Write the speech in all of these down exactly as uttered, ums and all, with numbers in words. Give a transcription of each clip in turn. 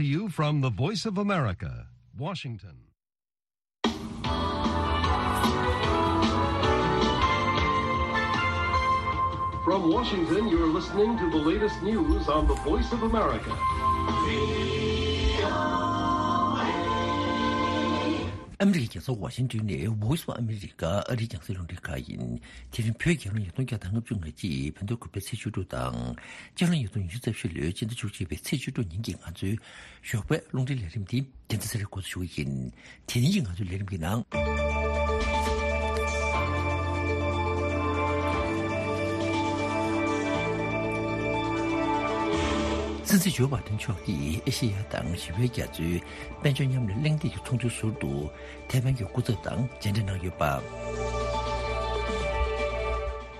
You from the Voice of America, Washington. From Washington, you're listening to the latest news on the Voice of America. ཨ་མི་རི་ཀའི་རྒྱལ་ས་ཝ་ཤིང་ཏོན་ནས་Voice of America ཨ་རིའི་རྒྱང་སྲིང་རླུང་འཕྲིན་ཁང་ཡིན། དེ་རིང་བོད་རྒྱལ་ལོ་ཉིས་སྟོང་བརྒྱ་དང་ལྔ་བཅུ་ང་གཅིག་བོད་ཟླ་དགུ་པའི་ཚེས་བཅུ་དྲུག་དང་། སྤྱི་ལོ་ཉིས་སྟོང་ཉི་ཤུ་རྩ་བཞི་ལོའི་སྤྱི་ཟླ་བཅུ་གཅིག་པའི་ཚེས་བཅུ་དྲུག་ཉིན་གྱི་ང་ཚོའི་ཞོགས་པའི་རླུང་འཕྲིན་ལས་རིམ་འདི་རྒྱལ་མཚན་ཚེ་རིང་འགོ་འཛུགས་ཞུ་གི་ཡིན། དེ་རིང་གི་ང་ཚོའི་ལས་རིམ་གྱི་ནང་། སྲིད་འཛིན་ཇོ་བྷའི་ཏན་མཆོག་གིས་ཨེ་ཤེ་ཡ་དང་ཞི་བའི་རྒྱ་མཚོའི་དཔལ་འབྱོར་མཉམ་ལས་གླེང་སྟེགས་ཀྱི་ཚོགས་འདུའི་ཟུར་དུ་ཐའེ་ཝན་གྱི་སྐུ་ཚབ་དང་མཇལ་འཕྲད་གནང་ཡོད་པ།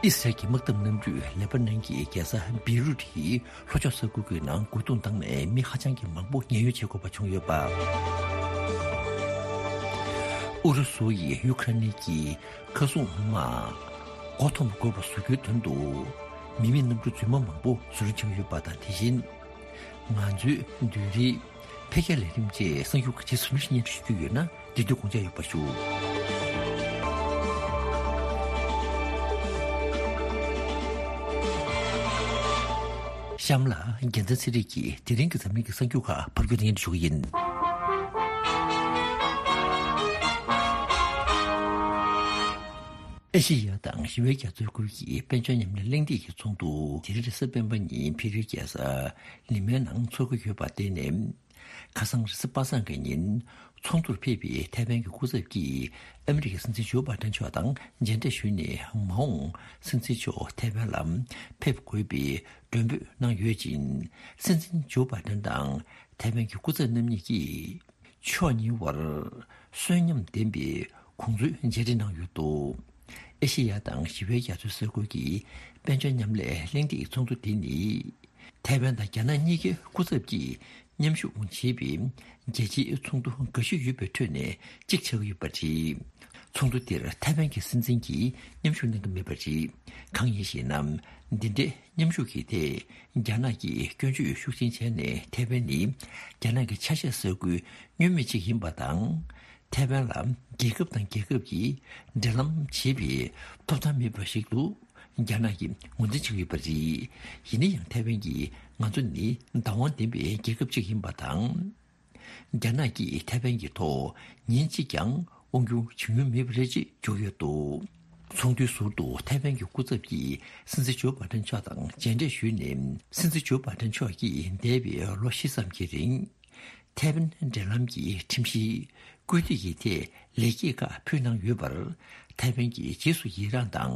ཨི་སི་རལ་གྱི་དམག་འཐབ་གནམ་གྲུས་ལེ་པ་ནན་གྱི་རྒྱལ་ས་བེ་རུད་ཀྱི་ལྷོ་ཕྱོགས་ས་ཁུལ་གྱི་ནང་རྒོལ་རྡུང་བཏང་ནས་མི་ཧ་ཅང་གི་མང་པོ་ཉེན་གཡོལ་བྱེད་དགོས་པ་བྱུང་ཡོད་པ། ཨུ་རུ་སུ་ཡིས་ཡུ་ཁ་རེན་གྱི་མཁའ་སྲུང་དམག་མགོ་འཐོམ་དགོས་པ་བཟོ་རྒྱུའི་དོན་དུ། མི་མེད་གནམ་གྲུ་རྫུན་མ་མང་པོ་བཟོ་སྐྲུན་བྱུང་ཡོད་པ་དང་། དེ་བཞིན། ང་ཚོའི་མདུན་རིའི་འཕེལ་རྒྱས་ལས་རིམ་བཅས་གསར་འགྱུར་ཁག་ཇི་སྲིད་ནས་སྙན་སྒྲོན་ཞུ་རྒྱུ་ཡོད་ན། དེ་དུས་དགོངས་འཇགས་ཡོད་པ་ཞུ། གཤམ་ལ་རྒྱལ་མཚན་ཚེ་རིང་གིས་དེ་རིང་གི་འཛམ་གླིང་གི་གསར་འགྱུར་ཁག་ཕབ་སྒྱུར་སྙན་སྒྲོན་ཞུ་གི་ཡིན། ཨེ་ཤེ་ཡ་དང་ཞི་བའི་རྒྱ་མཚོའི་ཁུལ་གྱི་དཔལ་འབྱོར་མཉམ་ལས་གླེང་སྟེགས་ཀྱི་ཚོགས་འདུ་དེ་རིང་རེས་གཟའ་སྤེན་པ་ཉིན་བྷི་རིའི་རྒྱལ་ས་ལི་མའི་ནང་འཚོགས་ཀྱི་ཡོད་པར་བརྟེན་ནས། ཁ་སང་རེས་གཟའ་པ་སངས་ཀྱི་ཉིན་ཚོགས་འདུར་ཕེབས་པའི་ཐའེ་ཝན་གྱི་སྐུ་ཚབ་ཀྱིས་ཨ་མི་རི་ཀའི་སྲིད་འཛིན་ཇོ་བྷའི་ཏན་མཆོག་དང་མཇལ་འཕྲད་ཞུས་ནས། མ་འོངས་སྲིད་འཛིན་མཆོག་ཐའེ་ཝན་ལ་ཕེབས་དགོས་པའི་མགྲོན་འབོད་གནང་ཡོད་ཅིང་། སྲིད་འཛིན་ཇོ་བྷའི་ཏན་དང་ཐའེ་ཝན་གྱི་སྐུ་ཚབ་རྣམ་གཉིས་ཀྱིས། ཕྱོགས་གཉིས་བར་གསོན་ཉམས་ལྡན་པའི་གོང་ཚུལ་མཇལ་འཕྲད་གནང་ཡོད་འདུག་ཨེ་ཤེ་ཡ་དང་ཞི་བའི་རྒྱ་མཚོའི་ས་ཁུལ་གྱི་དཔལ་འབྱོར་མཉམ་ལས་གླེང་སྟེགས་ཚོགས་འདུ་འདི་ནི། ཐའེ་ཝན་དང་རྒྱ་ནག་གཉིས་ཀའི་སྐུ་ཚབ་ཀྱིས་མཉམ་ཞུགས་བྱས་པའི་རྒྱལ་སྤྱིའི་ཚོགས་འདུ་འགའ་ཤས་ཡོད་པའི་ཁྲོད་ནས་གཅིག་ཆགས་ཀྱི་ཡོད་པ་རེད། ཚོགས་འདུ་འདིར་ཐའེ་ཝན་གྱི་སྲིད་འཛིན་གྱིས་མཉམ་ཞུགས་གནང་གི་མེད་པ་རེད། གང་ཡིན་ཞེ་ན། འདི་འདྲའི་མཉམ་ཞུགས་ཀྱི་ཐད་རྒྱ་ནག་གིས་སྐྱོན་བརྗོད་ཤུགས་ཆེན་བྱས་ནས། ཐའེ་ཝན་ནི་རྒྱ་ནག་གི་ཆ་ཤས་ས་ཁུལ་བསྙོན་མེད་ཅིག་ཡིན་པ་དང་། ཐའེ་ཝན་ལ་རྒྱལ་ཁབ་དང་རྒྱལ་ཁབ་ཀྱིས་འབྲེལ་ལམ་བྱེད་པའི་ཐོབ་ཐང་མེད་པ་ཞིག་ཏུ་རྒྱ་ནག་གིས་ངོས་འཛིན་བྱེད་ཀྱི་ཡོད་པ་རེད། ཡིན་ན་ཡང་ཐའེ་ཝན་གྱིས་ང་ཚོ་ནི་བདག་དབང་ལྡན་པའི་རྒྱལ་ཁབ་ཅིག་ཡིན་པ་དང་། རྒྱ་ནག་གིས་ཐའེ་ཝན་གྱི་ཐོག་ཉིན་གཅིག་ཀྱང་དབང་སྒྱུར་བྱེད་མྱོང་མེད་པ་རེད་ཅེས་བརྗོད་ཡོད་འདུག་ཚོགས་འདུའི་ཟུར་དུ་ཐའེ་ཝན་གྱི་སྐུ་ཚབ་ཀྱིས་སྲིད་འཛིན་ཇོ་བྷའི་ཏན་མཆོག་དང་མཇལ་འཕྲད་ཞུས་ནས། སྲིད་འཛིན་ཇོ་བྷའི་ཏན་མཆོག་གིས་འདས་པའི་ལོ་བཞི་ཙམ་གྱི་རིང་། ཐའེ་ཝན་འབྲེལ་ལམ་གྱི་ཁྲིམས་གཞིའི་སྐུལ་འདེད་ཀྱི་ཐད་ལེགས་སྐྱེས་ཁག་ཕུལ་གནང་ཡོད་པར། ཐའེ་ཝན་གྱིས་རྗེས་སུ་ཡི་རངས་དང་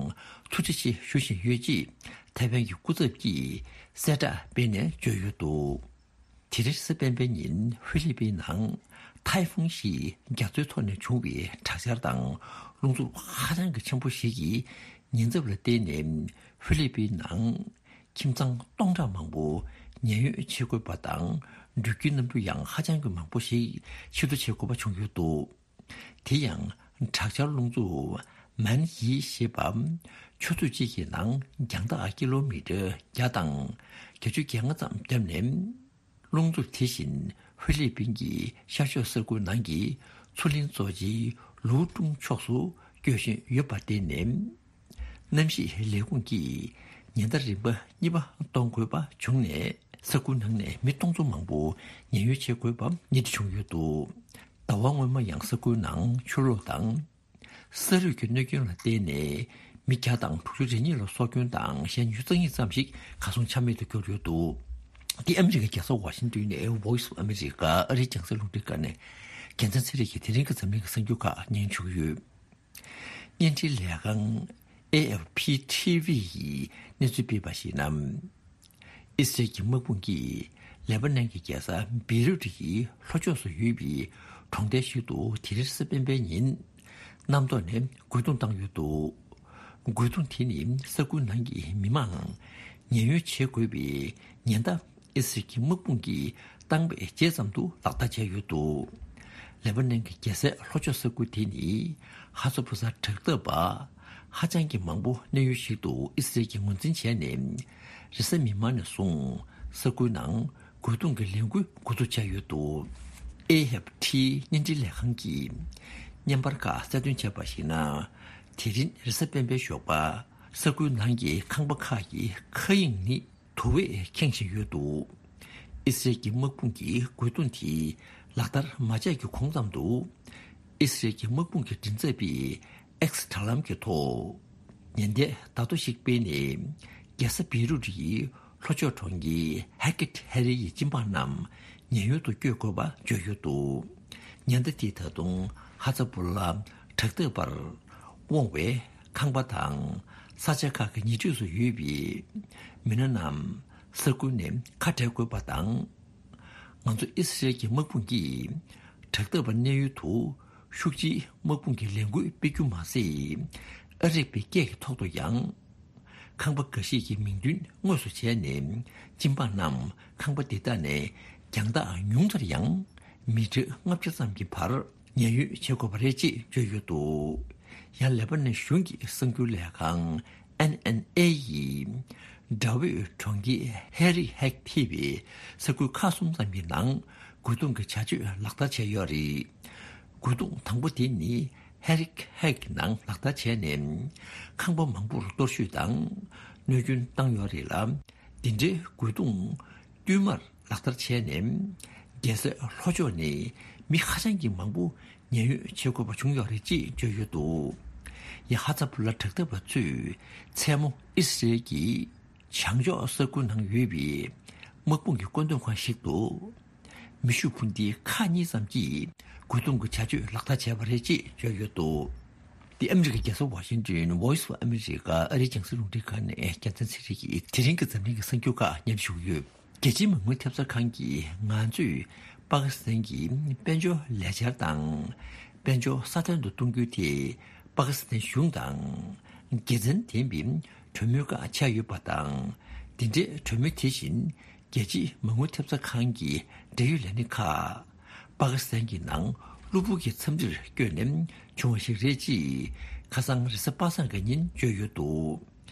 ཐུགས་རྗེ་ཆེ་ཞུ་བཞིན་ཡོད་ཅེས་ཐའེ་ཝན་གྱི་སྐུ་ཚབ་ཀྱིས་གསལ་བསྒྲགས་སྤེལ་ནས་བརྗོད་ཡོད་འདུག་དེ་རིང་རེས་གཟའ་སྤེན་པའི་ཉིན་ཧྥི་ལི་པིན་ནང་ཐའེ་ཧྥུང་ཞེས་རྒྱ་མཚོའི་ཐོག་ནས་བྱུང་བའི་དྲག་ཆར་དང་རླུང་འཚུབ་ཧ་ཅང་གི་ཆེན་པོ་ཞིག་གི་ཉེན་ཚབས་ལ་བརྟེན་ནས། ཧྥི་ལི་པིན་ནང་ཁྱིམ་ཚང་སྟོང་ཕྲག་མང་པོ་ཉེན་གཡོལ་བྱེད་དགོས་པ་དང་། འགྲུལ་སྐྱོད་གནམ་གྲུ་ཡང་ཧ་ཅང་གི་མང་པོ་ཞིག་ཕྱིར་བསྡུ་བྱེད་དགོས་པ་བྱུང་ཡོད་འདུག་དེ་ཡང་དྲག་ཆར་རླུང་འཚུབ་མན་ཡི་ཞེས་པ། ཆུ་ཚོད་གཅིག་གི་ནང་རྒྱང་ཐག་ཀི་ལོ་མི་ཊར་བརྒྱ་དང་བརྒྱད་ཅུ་གྱ་ལྔ་ཙམ་བརྒྱབ་ནས། རླུང་འཚུབ་དེ་བཞིན་ཧྥི་ལི་པིན་གྱི་ཤར་ཕྱོགས་ས་ཁུལ་ནང་གི་མཚོ་གླིང་གཙོ་ཆེའི་ལུའུ་ཀྲུང་ཕྱོགས་སུ་སྐྱོད་བཞིན་ཡོད་པར་བརྟེན་ནས། གནམ་གཤིས་ལས་ཁུངས་ཀྱིས་ཉེན་བརྡ་རིམ་པ་གཉིས་པ་གཏོང་དགོས་པ་བྱུང་ནས། ས་ཁུལ་ནང་ནས་མི་སྟོང་ཚོ་མང་པོ་ཉེན་གཡོལ་བྱེད་དགོས་པ་ཉིན་དེ་བྱུང་ཡོད་འདུག་ཟླ་བ་སྔོན་མ་ཡང་ས་ཁུལ་ནང་ཆུ་ལོག་དང་། ས་རུད་ཀྱི་གནོད་སྐྱོན་ལ་བརྟེན་ནས་མི་བརྒྱ་དང་དྲུག་ཅུ་རེ་གཉིས་ལ་སྲོག་སྐྱོན་དང་གཞན་ཉི་ཤུ་རྩ་གཉིས་ཙམ་ཞིག་གར་སོང་ཆ་མེད་དུ་གྱུར་ཡོད་འདུག་འདི་ཨ་མི་རི་ཀའི་རྒྱལ་ས་ཝ་ཤིང་ཏོན་ནས་Voice of America ཨ་རིའི་རྒྱང་སྲིང་རླུང་འཕྲིན་ཁང་ནས་རྒྱལ་མཚན་ཚེ་རིང་གིས་དེ་རིང་གི་འཛམ་གླིང་གི་གསར་འགྱུར་ཁག་སྙན་ཞུ་གི་ཡོད། བརྙན་འཕྲིན་ལས་ཁང་ཨེ་ཨེཕ་ཕི་ཊི་ཝི་ཡིས་གནས་ཚུལ་སྤེལ་བར་གཞིགས་ན། ཨི་སི་རལ་གྱི་དམག་དཔུང་གིས་ལེ་པ་ནན་གྱི་རྒྱལ་ས་བེ་རུད་ཀྱི་ལྷོ་ཕྱོགས་སུ་ཡོད་པའི་གྲོང་རྡལ་ཞིག་ཏུ་དེ་རིང་རེས་གཟའ་སྤེན་པའི་ཉིན་གནམ་ཐོག་ནས་རྒོལ་རྡུང་བཏང་ཡོད་འདུག་རྒོལ་རྡུང་དེ་ནི་ས་ཁུལ་ནང་གི་མི་མང་ཉེན་གཡོལ་བྱེད་དགོས་པའི་ཉེན་བརྡ་ཨི་སི་རལ་གྱི་དམག་དཔུང་གིས་བཏང་བའི་རྗེས་ཙམ་དུ་ལག་བསྟར་བྱས་ཡོད་འདུག་ལེ་པ་ནན་གྱི་རྒྱལ་སའི་ལྷོ་ཕྱོགས་ས་ཁུལ་དེ་ནི་ཧ་ཛ་བུ་ཟ་དྲག་འཐབ་པ་ཧ་ཅང་གི་མང་པོ་གནས་ཡུལ་ཞིག་ཏུ་ཨི་སི་རལ་གྱིས་ངོས་འཛིན་བྱས་ནས། རེས་གཟའ་མིག་དམར་ནས་བཟུང་ས་ཁུལ་ནང་ རྒོལ་རྡུང་གི་ལས་འགུལ་འགོ་འཛུགས་བྱས་ཡོད་འདུག། ཨེ་ཧེབ་ཊི་བརྙན་འཕྲིན་ལས་ཁང་གིས་བརྙན་པར་ཁག་གསལ་སྟོན་བྱས་པར་གཞིགས་ན། དེ་རིང་རེས་གཟའ་སྤེན་པའི་ཞོགས་པ་ས་ཁུལ་ནང་གི་ཁང་པ་ཁག་གི་མཁའ་དབྱིངས་ནི་དུ་བས་ཁེངས་བཞིན་ཡོད་འདུག། ཨི་སི་རེལ་གྱི་དམག་དཔུང་གི་རྒོལ་རྡུང་དེ་ལག་བསྟར་མ་བྱས་ཀྱི་གོང་ཙམ་དུ། ཨི་སི་རེལ་གྱི་དམག་དཔུང་གི་མགྲིན་ཚབ་པས་ཨེགས་དྲ་ལམ་གྱི་ཐོག་ཉེན་བརྡའི་བརྡ་ཐོ་ཞིག་སྤེལ་ནས། རྒྱལ་ས་བེ་རུ་ཊི་ཡི་ལྷོ་ཕྱོགས་གྲོང་ཁྱེར་ཧེ་ཀེ་ཧེ་རི་ཡི་སྦྱིན་བདག་རྣམས་ཉེན་གཡོལ་དུ་བསྐྱོད་དགོས་པ་བརྗོད་ཡོད་འདུག། ཉེན་བརྡ་དེས་ད་དུང་ཧ་ཛ་བུ་ལ་དྲག་འཐབ་པར་དབང་བའི་ཁང་པ་དང་ས་ཆ་ཁག་གི་ཉེ་འཁྲིས་སུ་ཡོད་པའི་མི་སྣ་རྣམས་ས་ཁུལ་ནས་ཁ་བྲལ་དགོས་པ་དང་། ང་ཚོ་ཨི་སི་རེལ་གྱི་དམག་དཔུང་གིས་དྲག་འཐབ་པ་གནས་ཡུལ་དུ་ཤུགས་ཆེའི་དམག་དཔུང་གི་ལས་འགུལ་སྤེལ་རྒྱུ་མ་ཟད། ཨ་རིག་པའི་སྐད་ཀྱི་ཐོག་ཏུ་ཡང་ཁང་པ་འགའ་ཤས་ཀྱི་མིང་འདོན་དངོས་སུ་བྱས་ནས། སྦྱིན་བདག་རྣམས་ཁང་པ་འདི་དག་ནས་རྒྱང་ཐག་ཉུང་མཐར་ཡང་མི་ཊར་ལྔ་བརྒྱ་ཙམ་གྱི་བར་ཉེན་གཡོལ་བྱེད་དགོས་པ་རེད་ཅེས་བརྗོད་ཡོད་འདུག། ཡང་ལེ་པ་ནན་གཞུང་གི་གསར་འགྱུར་ལས་ཁང་ཨེན་ཨེན་ཨེ་ཡིས་དགྲ་བོས་གྲོང་ཁྱེར་ཧེ་རི་ཧེག་ཐེ་བའི་ས་ཁུལ་ཁག་གསུམ་ཙམ་གྱི་ནང་རྒོལ་རྡུང་གི་བྱ་སྤྱོད་ལག་བསྟར་བྱས་ཡོད་རེད། རྒོལ་རྡུང་དང་པོ་དེ་ནི་ཧེ་རི་ཧེག་ནང་ལག་བསྟར་བྱས་ནས། ཁང་པ་མང་པོར་གཏོར་བཤིག་དང་གནོད་སྐྱོན་བཏང་ཡོད་རེད་ལ། འདི་འདྲའི་རྒོལ་རྡུང་བསྟུད་མར་ལག་བསྟར་བྱས་ནས། རྒྱལ་སའི་ལྷོ་ཕྱོགས་ནས་མི་ཧ་ཅང་གི་མང་པོ་ཉེན་གཡོལ་བྱེད་དགོས་པ་བྱུང་ཡོད་རེད་ཅེས་བརྗོད་ཡོད་འདུག། ཡང་ཧ་ཛ་བུ་ལ་དྲག་འཐབ་པ་ཚོས་མཚན་མོ་ཨི་སི་རེལ་གྱི་བྱང་ཕྱོགས་ས་ཁུལ་ནང་ཡོད་པའི་དམག་དཔུང་གི་བཀོད་འདོམས་ཁང་ཞིག་ཏུ། མེ་ཤུགས་འཕུར་མདེལ་ཁག་གཉིས་ཙམ་གྱིས་རྒོལ་རྡུང་གི་བྱ་སྤྱོད་ལག་བསྟར་བྱས་པ་རེད་ཅེས་བརྗོད་ཡོད་འདུག། འདི་ཨ་མི་རི་ཀའི་རྒྱལ་ས་ཝ་ཤིང་ཏོན་Voice of America ཨ་རིའི་རྒྱང་སྲིང་རླུང་འཕྲིན་ཁང་ནས་རྒྱལ་མཚན་ཚེ་རིང་གིས་དེ་རིང་གི་འཛམ་གླིང་གི་གསར་འགྱུར་ཁག་སྙན་ཞུ་ཡོད། རྒྱལ་སྤྱིའི་མ་དངུལ་ཐེབས་རྩ་ཁང་གིས་ང་ཚོས་པ་ཀི་སི་ཐན་གྱི་དཔལ་འབྱོར་ལས་འཆར་དང་། དཔལ་འབྱོར་སྲ་བརྟན་དུ་གཏོང་རྒྱུ་དེ་པ་ཀི་སི་ཐན་གཞུང་དང་། དགེ་མཚན་ལྡན་པའི་གྲོས་མོལ་ཁག་ཆགས་ཡོད་པ་དང་། འདི་འདྲའི་གྲོས་མོལ་དེ་བཞིན། རྒྱལ་སྤྱིའི་མ་དངུལ་ཐེབས་རྩ་ཁང་གི་འབྲེལ་ཡོད་ལས་སྣེ་ཁག་པ་ཀི་སི་ཐན་གྱི་ནང་གློ་བུར་གྱི་འཚམས་འདྲིར་བསྐྱོད་ནས་བྱུང་བ་ཞིག་རེད་ཅེས་ཁ་སང་རེས་གཟའ་པ་སངས་ཀྱི་ཉིན་བརྗོད་ཡོད་འདུག།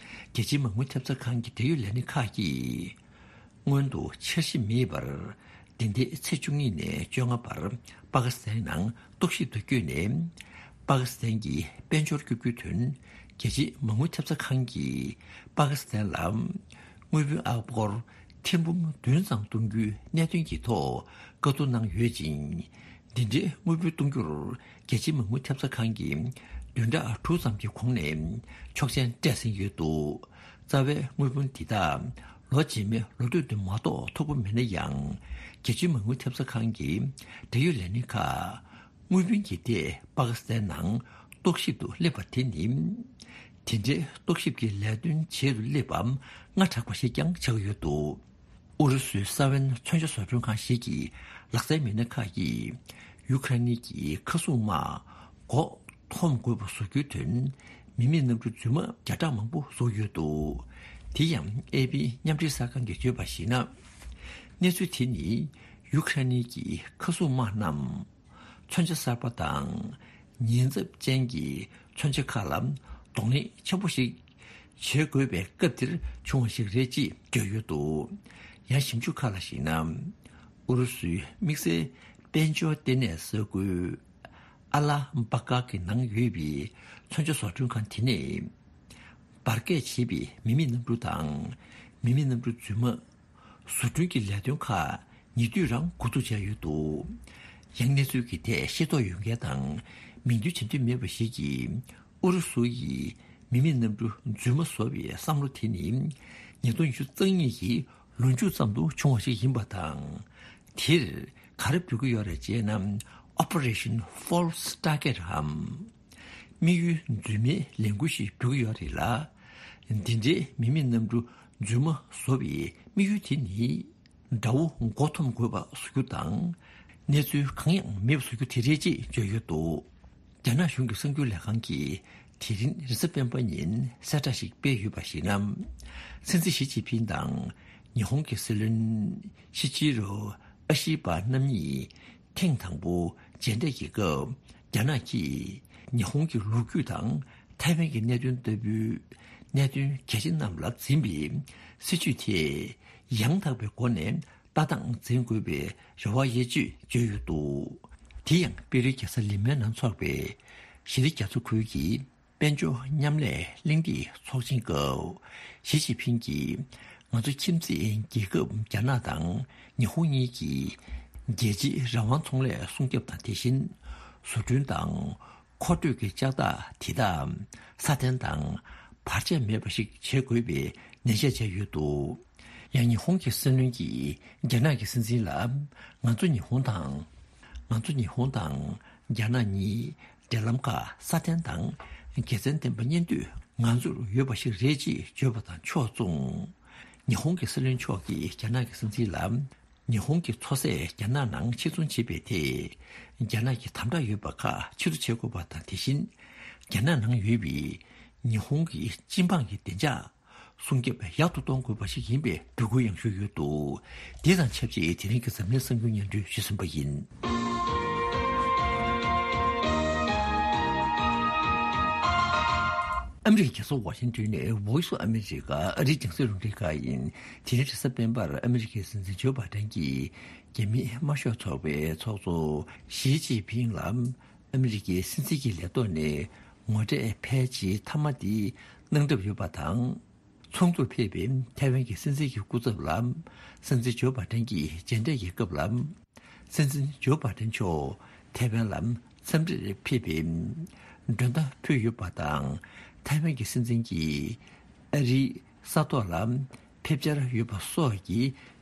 རྒྱལ་སྤྱིའི་མ་དངུལ་ཐེབས་རྩ་ཁང་གི་འབྲེལ་ཡོད་ལས་སྣེ་ཁག་གིས་སྔོན་དུ་འཆར་གཞི་མེད་པར། འདི་ཟླའི་ཚེས་བཅུ་གཉིས་ནས་བཅོ་ལྔ་བར་པ་ཀི་སི་ཐན་ནང་རྟོག་ཞིབ་ཏུ་བསྐྱོད་ནས། པ་ཀི་སི་ཐན་གྱི་དཔལ་འབྱོར་སྐྱོབ་རྒྱུའི་དོན། རྒྱལ་སྤྱིའི་མ་དངུལ་ཐེབས་རྩ་ཁང་གིས་པ་ཀི་སི་ཐན་ལ་དངུལ་བུན་ཨ་སྒོར་ཐེར་འབུམ་བདུན་ཙམ་གཏོང་རྒྱུའི་གནད་དོན་གྱི་ཐོག་བཀའ་བསྡུར་གནང་ཡོད་ཅིང་། འདི་འདྲའི་དངུལ་བུན་གཏོང་རྒྱུར་རྒྱལ་སྤྱིའི་མ་དངུལ་ཐེབས་རྩ་ཁང་གིས་བདུན་ཕྲག་དྲུག་ཙམ་གྱི་གོང་ནས་ཆོག་མཆན་སྤྲད་ཟིན་ཡོད་འདུག། རྩ་བའི་དངུལ་བུན་འདི་དག་ལོ་རྗེས་མའི་ལོ་སྟོད་དུ་མ་གཏོགས་ཐོབ་ཀྱི་མེད་ན་ཡང་། རྒྱལ་སྤྱིའི་མ་དངུལ་ཐེབས་རྩ་ཁང་གི་འབྲེལ་ཡོད་ལས་སྣེ་ཁག་དངུལ་བུན་གྱི་ཐད་པ་ཀི་སི་ཐན་ནང་རྟོག་ཞིབ་ཏུ་སླེབས་པ་དེ་ནི། དེ་འདྲའི་རྟོག་ཞིབ་ཀྱི་ལས་དོན་བྱེད་དུ་སླེབས་པ་སྔ་དྲགས་པ་ཞིག་ཀྱང་ཆགས་ཡོད་འདུག། ཨུ་རུ་སུའི་ས་བོན་མཚོན་ཆ་བཟོ་སྐྲུན་ཁང་ཞིག་གི་ལག་རྩལ་མི་སྣ་ཁག་གིས་ཡུ་ཁ་རེན་གྱི་མཁའ་སྲུང་དམག་མགོ་འཐོམ་དགོས་པ་བཟོ་རྒྱུའི་དོན་མི་མེད་གནམ་གྲུ་རྫུན་མ་བརྒྱ་ཕྲག་མང་པོ་བཟོས་ཡོད་འདུག། དེ་ཡང་ཨེ་པི་མཉམ་འབྲེལ་གསར་ཁང་གིས་བརྗོད་པར་གཞིགས་ན། གནས་ཚུལ་དེ་ནི་ཡུ་ཁ་རེན་གྱི་མཁའ་སྲུང་དམག་རྣམས། མཚོན་ཆ་གསར་པ་དང་ཉེན་ཚབས་ཅན་གྱི་མཚོན་ཆ་ཁག་ལ་གདོང་ལེན་ཆེན་པོ་ཞིག་བྱེད་དགོས་པའི་སྐབས་འདིར་བྱུང་བ་ཞིག་རེད་ཅེས་བརྗོད་ཡོད་འདུག། ཡང་ཞིབ་འཇུག་ཁག་ལ་གཞིགས་ན། ཨུ་རུ་སུའི་དམིགས་བསལ་དཔལ་འབྱོར་ལྟེ་གནས་ས་ཁུལ་ཨ་ལ་བྷ་ཀ་གི་ནང་ཡོད་པའི་མཚོན་ཆ་བཟོ་སྐྲུན་ཁང་དེ་ནས། འབར་གས་བྱས་པའི་མི་མེད་གནམ་གྲུ་དང་། མི་མེད་གནམ་གྲུ་རྫུན་མ། བཟོ་སྐྲུན་གྱི་ལས་དོན་ཁག་ཉེ་དུས་རང་འགོ་འཛུགས་བྱས་ཡོད་འདུག། ཡང་གནས་ཚུལ་གྱི་ཐད་ཤེས་རྟོགས་ཡོད་མཁན་དང་མིང་འདོན་བྱེད་འདོད་མེད་པ་ཞིག་གིས། ཨུ་རུ་སུ་ཡིས་མི་མེད་གནམ་གྲུ་རྫུན་མ་བཟོ་བའི་བསམ་བློ་དེ་ནི་ཉིས་སྟོང་ཉི་ཤུ་རྩ་གཉིས་ཀྱི་ལོ་མཇུག་ཙམ་དུ་བྱུང་བ་ཞིག་ཡིན་པ་དང་། དེར་ག་རེ་འབོད་ཀྱི་ཡོད་རེད་ཅེ་ན། Operation False Target འམ། དམིགས་ཡུལ་རྫུན་མའི་ལས་འགུལ་ཞིག་འགྲོ་གི་ཡོད་རེད་ལ། འདི་འདྲའི་མི་མེད་གནམ་གྲུ་རྫུན་མ་བཟོ་བའི་དམིགས་ཡུལ་དེ་ནི། དགྲ་བོ་མགོ་འཐོམ་དགོས་པ་བཟོ་རྒྱུ་དང་། གནས་ཚུལ་གང་ཡང་མེད་པ་བཟོ་རྒྱུ་དེ་རེད་ཅེས་བརྗོད་ཡོད་འདུག། རྒྱ་ནག་གཞུང་གི་གསར་འགྱུར་ལས་ཁང་གིས་དེ་རིང་རེས་གཟའ་སྤེན་པ་ཉིན་གསལ་བསྒྲགས་ཤིག་སྤེལ་ཡོད་པར་གཞིགས་ན། སྲིད་འཛིན་ཞི་ཅིན་ཕིང་དང་ཉི་ཧོང་གི་སྲིད་བློན་ཤི་ཅི་རོ་ཨ་ཤི་པ་རྣམ་གཉིས། ཐེངས་དང་པོ་མཇལ་འཕྲད་ཀྱི་སྐབས། རྒྱ་ནག་གིས་ཉི་ཧོང་གི་ལོ་རྒྱུས་དང་ཐའེ་ཝན་གྱི་གནད་དོན་ལྟ་བུའི་གནད་དོན་གལ་ཆེ་རྣམས་ལ་འཛིན་པའི་སྲིད་བྱུས་དེ་ཡང་དག་པའི་སྒོ་ནས་ ལྟ་སྟངས་འཛིན་དགོས་པའི་རེ་བ་ཡོད་ཅེས་བརྗོད་ཡོད་འདུག་དེ་ཡང་པེ་རུའི་རྒྱལ་ས་ལི་མའི་ནང་འཚོགས་པའི་ཞི་བདེ་རྒྱ་མཚོ་ཁུལ་གྱི་དཔལ་འབྱོར་མཉམ་ལས་གླེང་སྟེགས་ཚོགས་ཆེན་སྐབས། ཞི་ཅིན་ཕིང་གིས་ང་ཚོ་ཁྱིམ་མཚེས་རྒྱལ་ཁབ་རྒྱ་ནག་དང་ཉི་ཧོང་གཉིས་ཀྱིས་རྒྱལ་སྤྱིའི་རང་དབང་ཚོང་ལས་སྲུང་སྐྱོབ་དང་། དེ་བཞིན་བཟོ་སྐྲུན་དང་མཁོ་སྤྲོད་ཀྱི་ལྕགས་རྟགས་དེ་དག་སྲ་བརྟན་དང་བར་ཆད་མེད་པ་ཞིག་བྱེད་དགོས་པའི་ནན་བཤད་བྱས་ཡོད་འདུག་ཡང་ཉི་ཧོང་གི་སྲིད་བློན་གྱིས་རྒྱ་ནག་གི་སྲིད་འཛིན་ལ། ང་ཚོ་ཉི་ཧོང་དང་། ང་ཚོ་ཉི་ཧོང་དང་རྒྱ་ནག་གཉིས་འབྲེལ་ལམ་ཁག་སྲ་བརྟན་དང་དགེ་མཚན་ལྡན་པ་གཉེན་སྡོད་ང་ཚོར་ཡོད་པ་ཞིག་རེད་ཅེས་བརྗོད་པ་དང་ཕྱོགས་མཚུངས། ཉི་ཧོང་གི་སྲིད་བློན་མཆོག་གིས་རྒྱ་ནག་གི་སྲིད་འཛིན་ལ། ཉི་ཧོང་གི་མཚོ་ཟས་རྒྱ་ནག་ནང་ཕྱིར་ཚོང་བྱེད་པའི་ཐད། རྒྱ་ནག་གི་དམ་དྲག་ཡོད་པ་ཁག་ཕྱིར་བཟོ་བྱེད་དགོས་པ་དང་། དེ་བཞིན་རྒྱ་ནག་ནང་ཡོད་པའི་ཉི་ཧོང་གི་སྤྱི་འབངས་ཀྱི་བདེ་འཇགས་སྲུང་སྐྱོབ་ཡག་ཏུ་གཏོང་དགོས་པ་ཞིག་ཡིན་པའི་འབོད་སྐུལ་ཡང་ཞུས་ཡོད་འདུག་དེ་དང་ཆབས་ཅིག་དེ་རིང་གི་འཛམ་གླིང་གསར་འགྱུར་སྙན་སྒྲོན་ཞུས་ཟིན་པ་ཡིན། ཨ་མི་རི་ཀའི་རྒྱལ་ས་ཝ་ཤིང་ཏོན་ནས་Voice of America ཨ་རིའི་རྒྱང་སྲིང་རླུང་འཕྲིན་ཁང་ཡིན། དེ་རིང་རེས་གཟའ་སྤེན་པར་ཨ་མི་རི་ཀའི་སྲིད་འཛིན་ཇོ་བྷའི་ཌེན་གྱིས་རྒྱ་མིའི་དམར་ཤོག་ཚོགས་པའི་ཚོགས་གཙོ་ཞི་ཅིན་ཕིང་ལ་ཨ་མི་རི་ཀའི་སྲིད་འཛིན་གྱི་ལས་ཐོག་ནས་ངོ་འཕྲད་ཕལ་ཆེར་མཐའ་མ་དེ་གནང་གྲབས་ཡོད་པ་དང་། ཚོགས་འདུར་ཕེབས་པའི་ཐའེ་ཝན་གྱི་སྲིད་འཛིན་གྱི་སྐུ་ཚབ་ལ་སྲིད་འཛིན་ཇོ་བྷའི་ཌེན་གྱིས་མཇལ་འཕྲད་ཀྱི་སྐབས་ལ། སྲིད་འཛིན་ཇོ་བྷའི་ཌེན་མཆོག་ཐའེ་ཝན་ལ་འཚམས་འདྲིར་ཕེབས་པའི་མགྲོན་བརྡ་ཕུལ་ཡོད་པ་དང་། ཐའེ་ཝན་གྱི་སྲིད་འཛིན་གྱིས་ཨ་རིའི་ས་ཐོག་ལ་ཕེབས་འཆར་ཡོད་པ་སོགས་ཀྱི་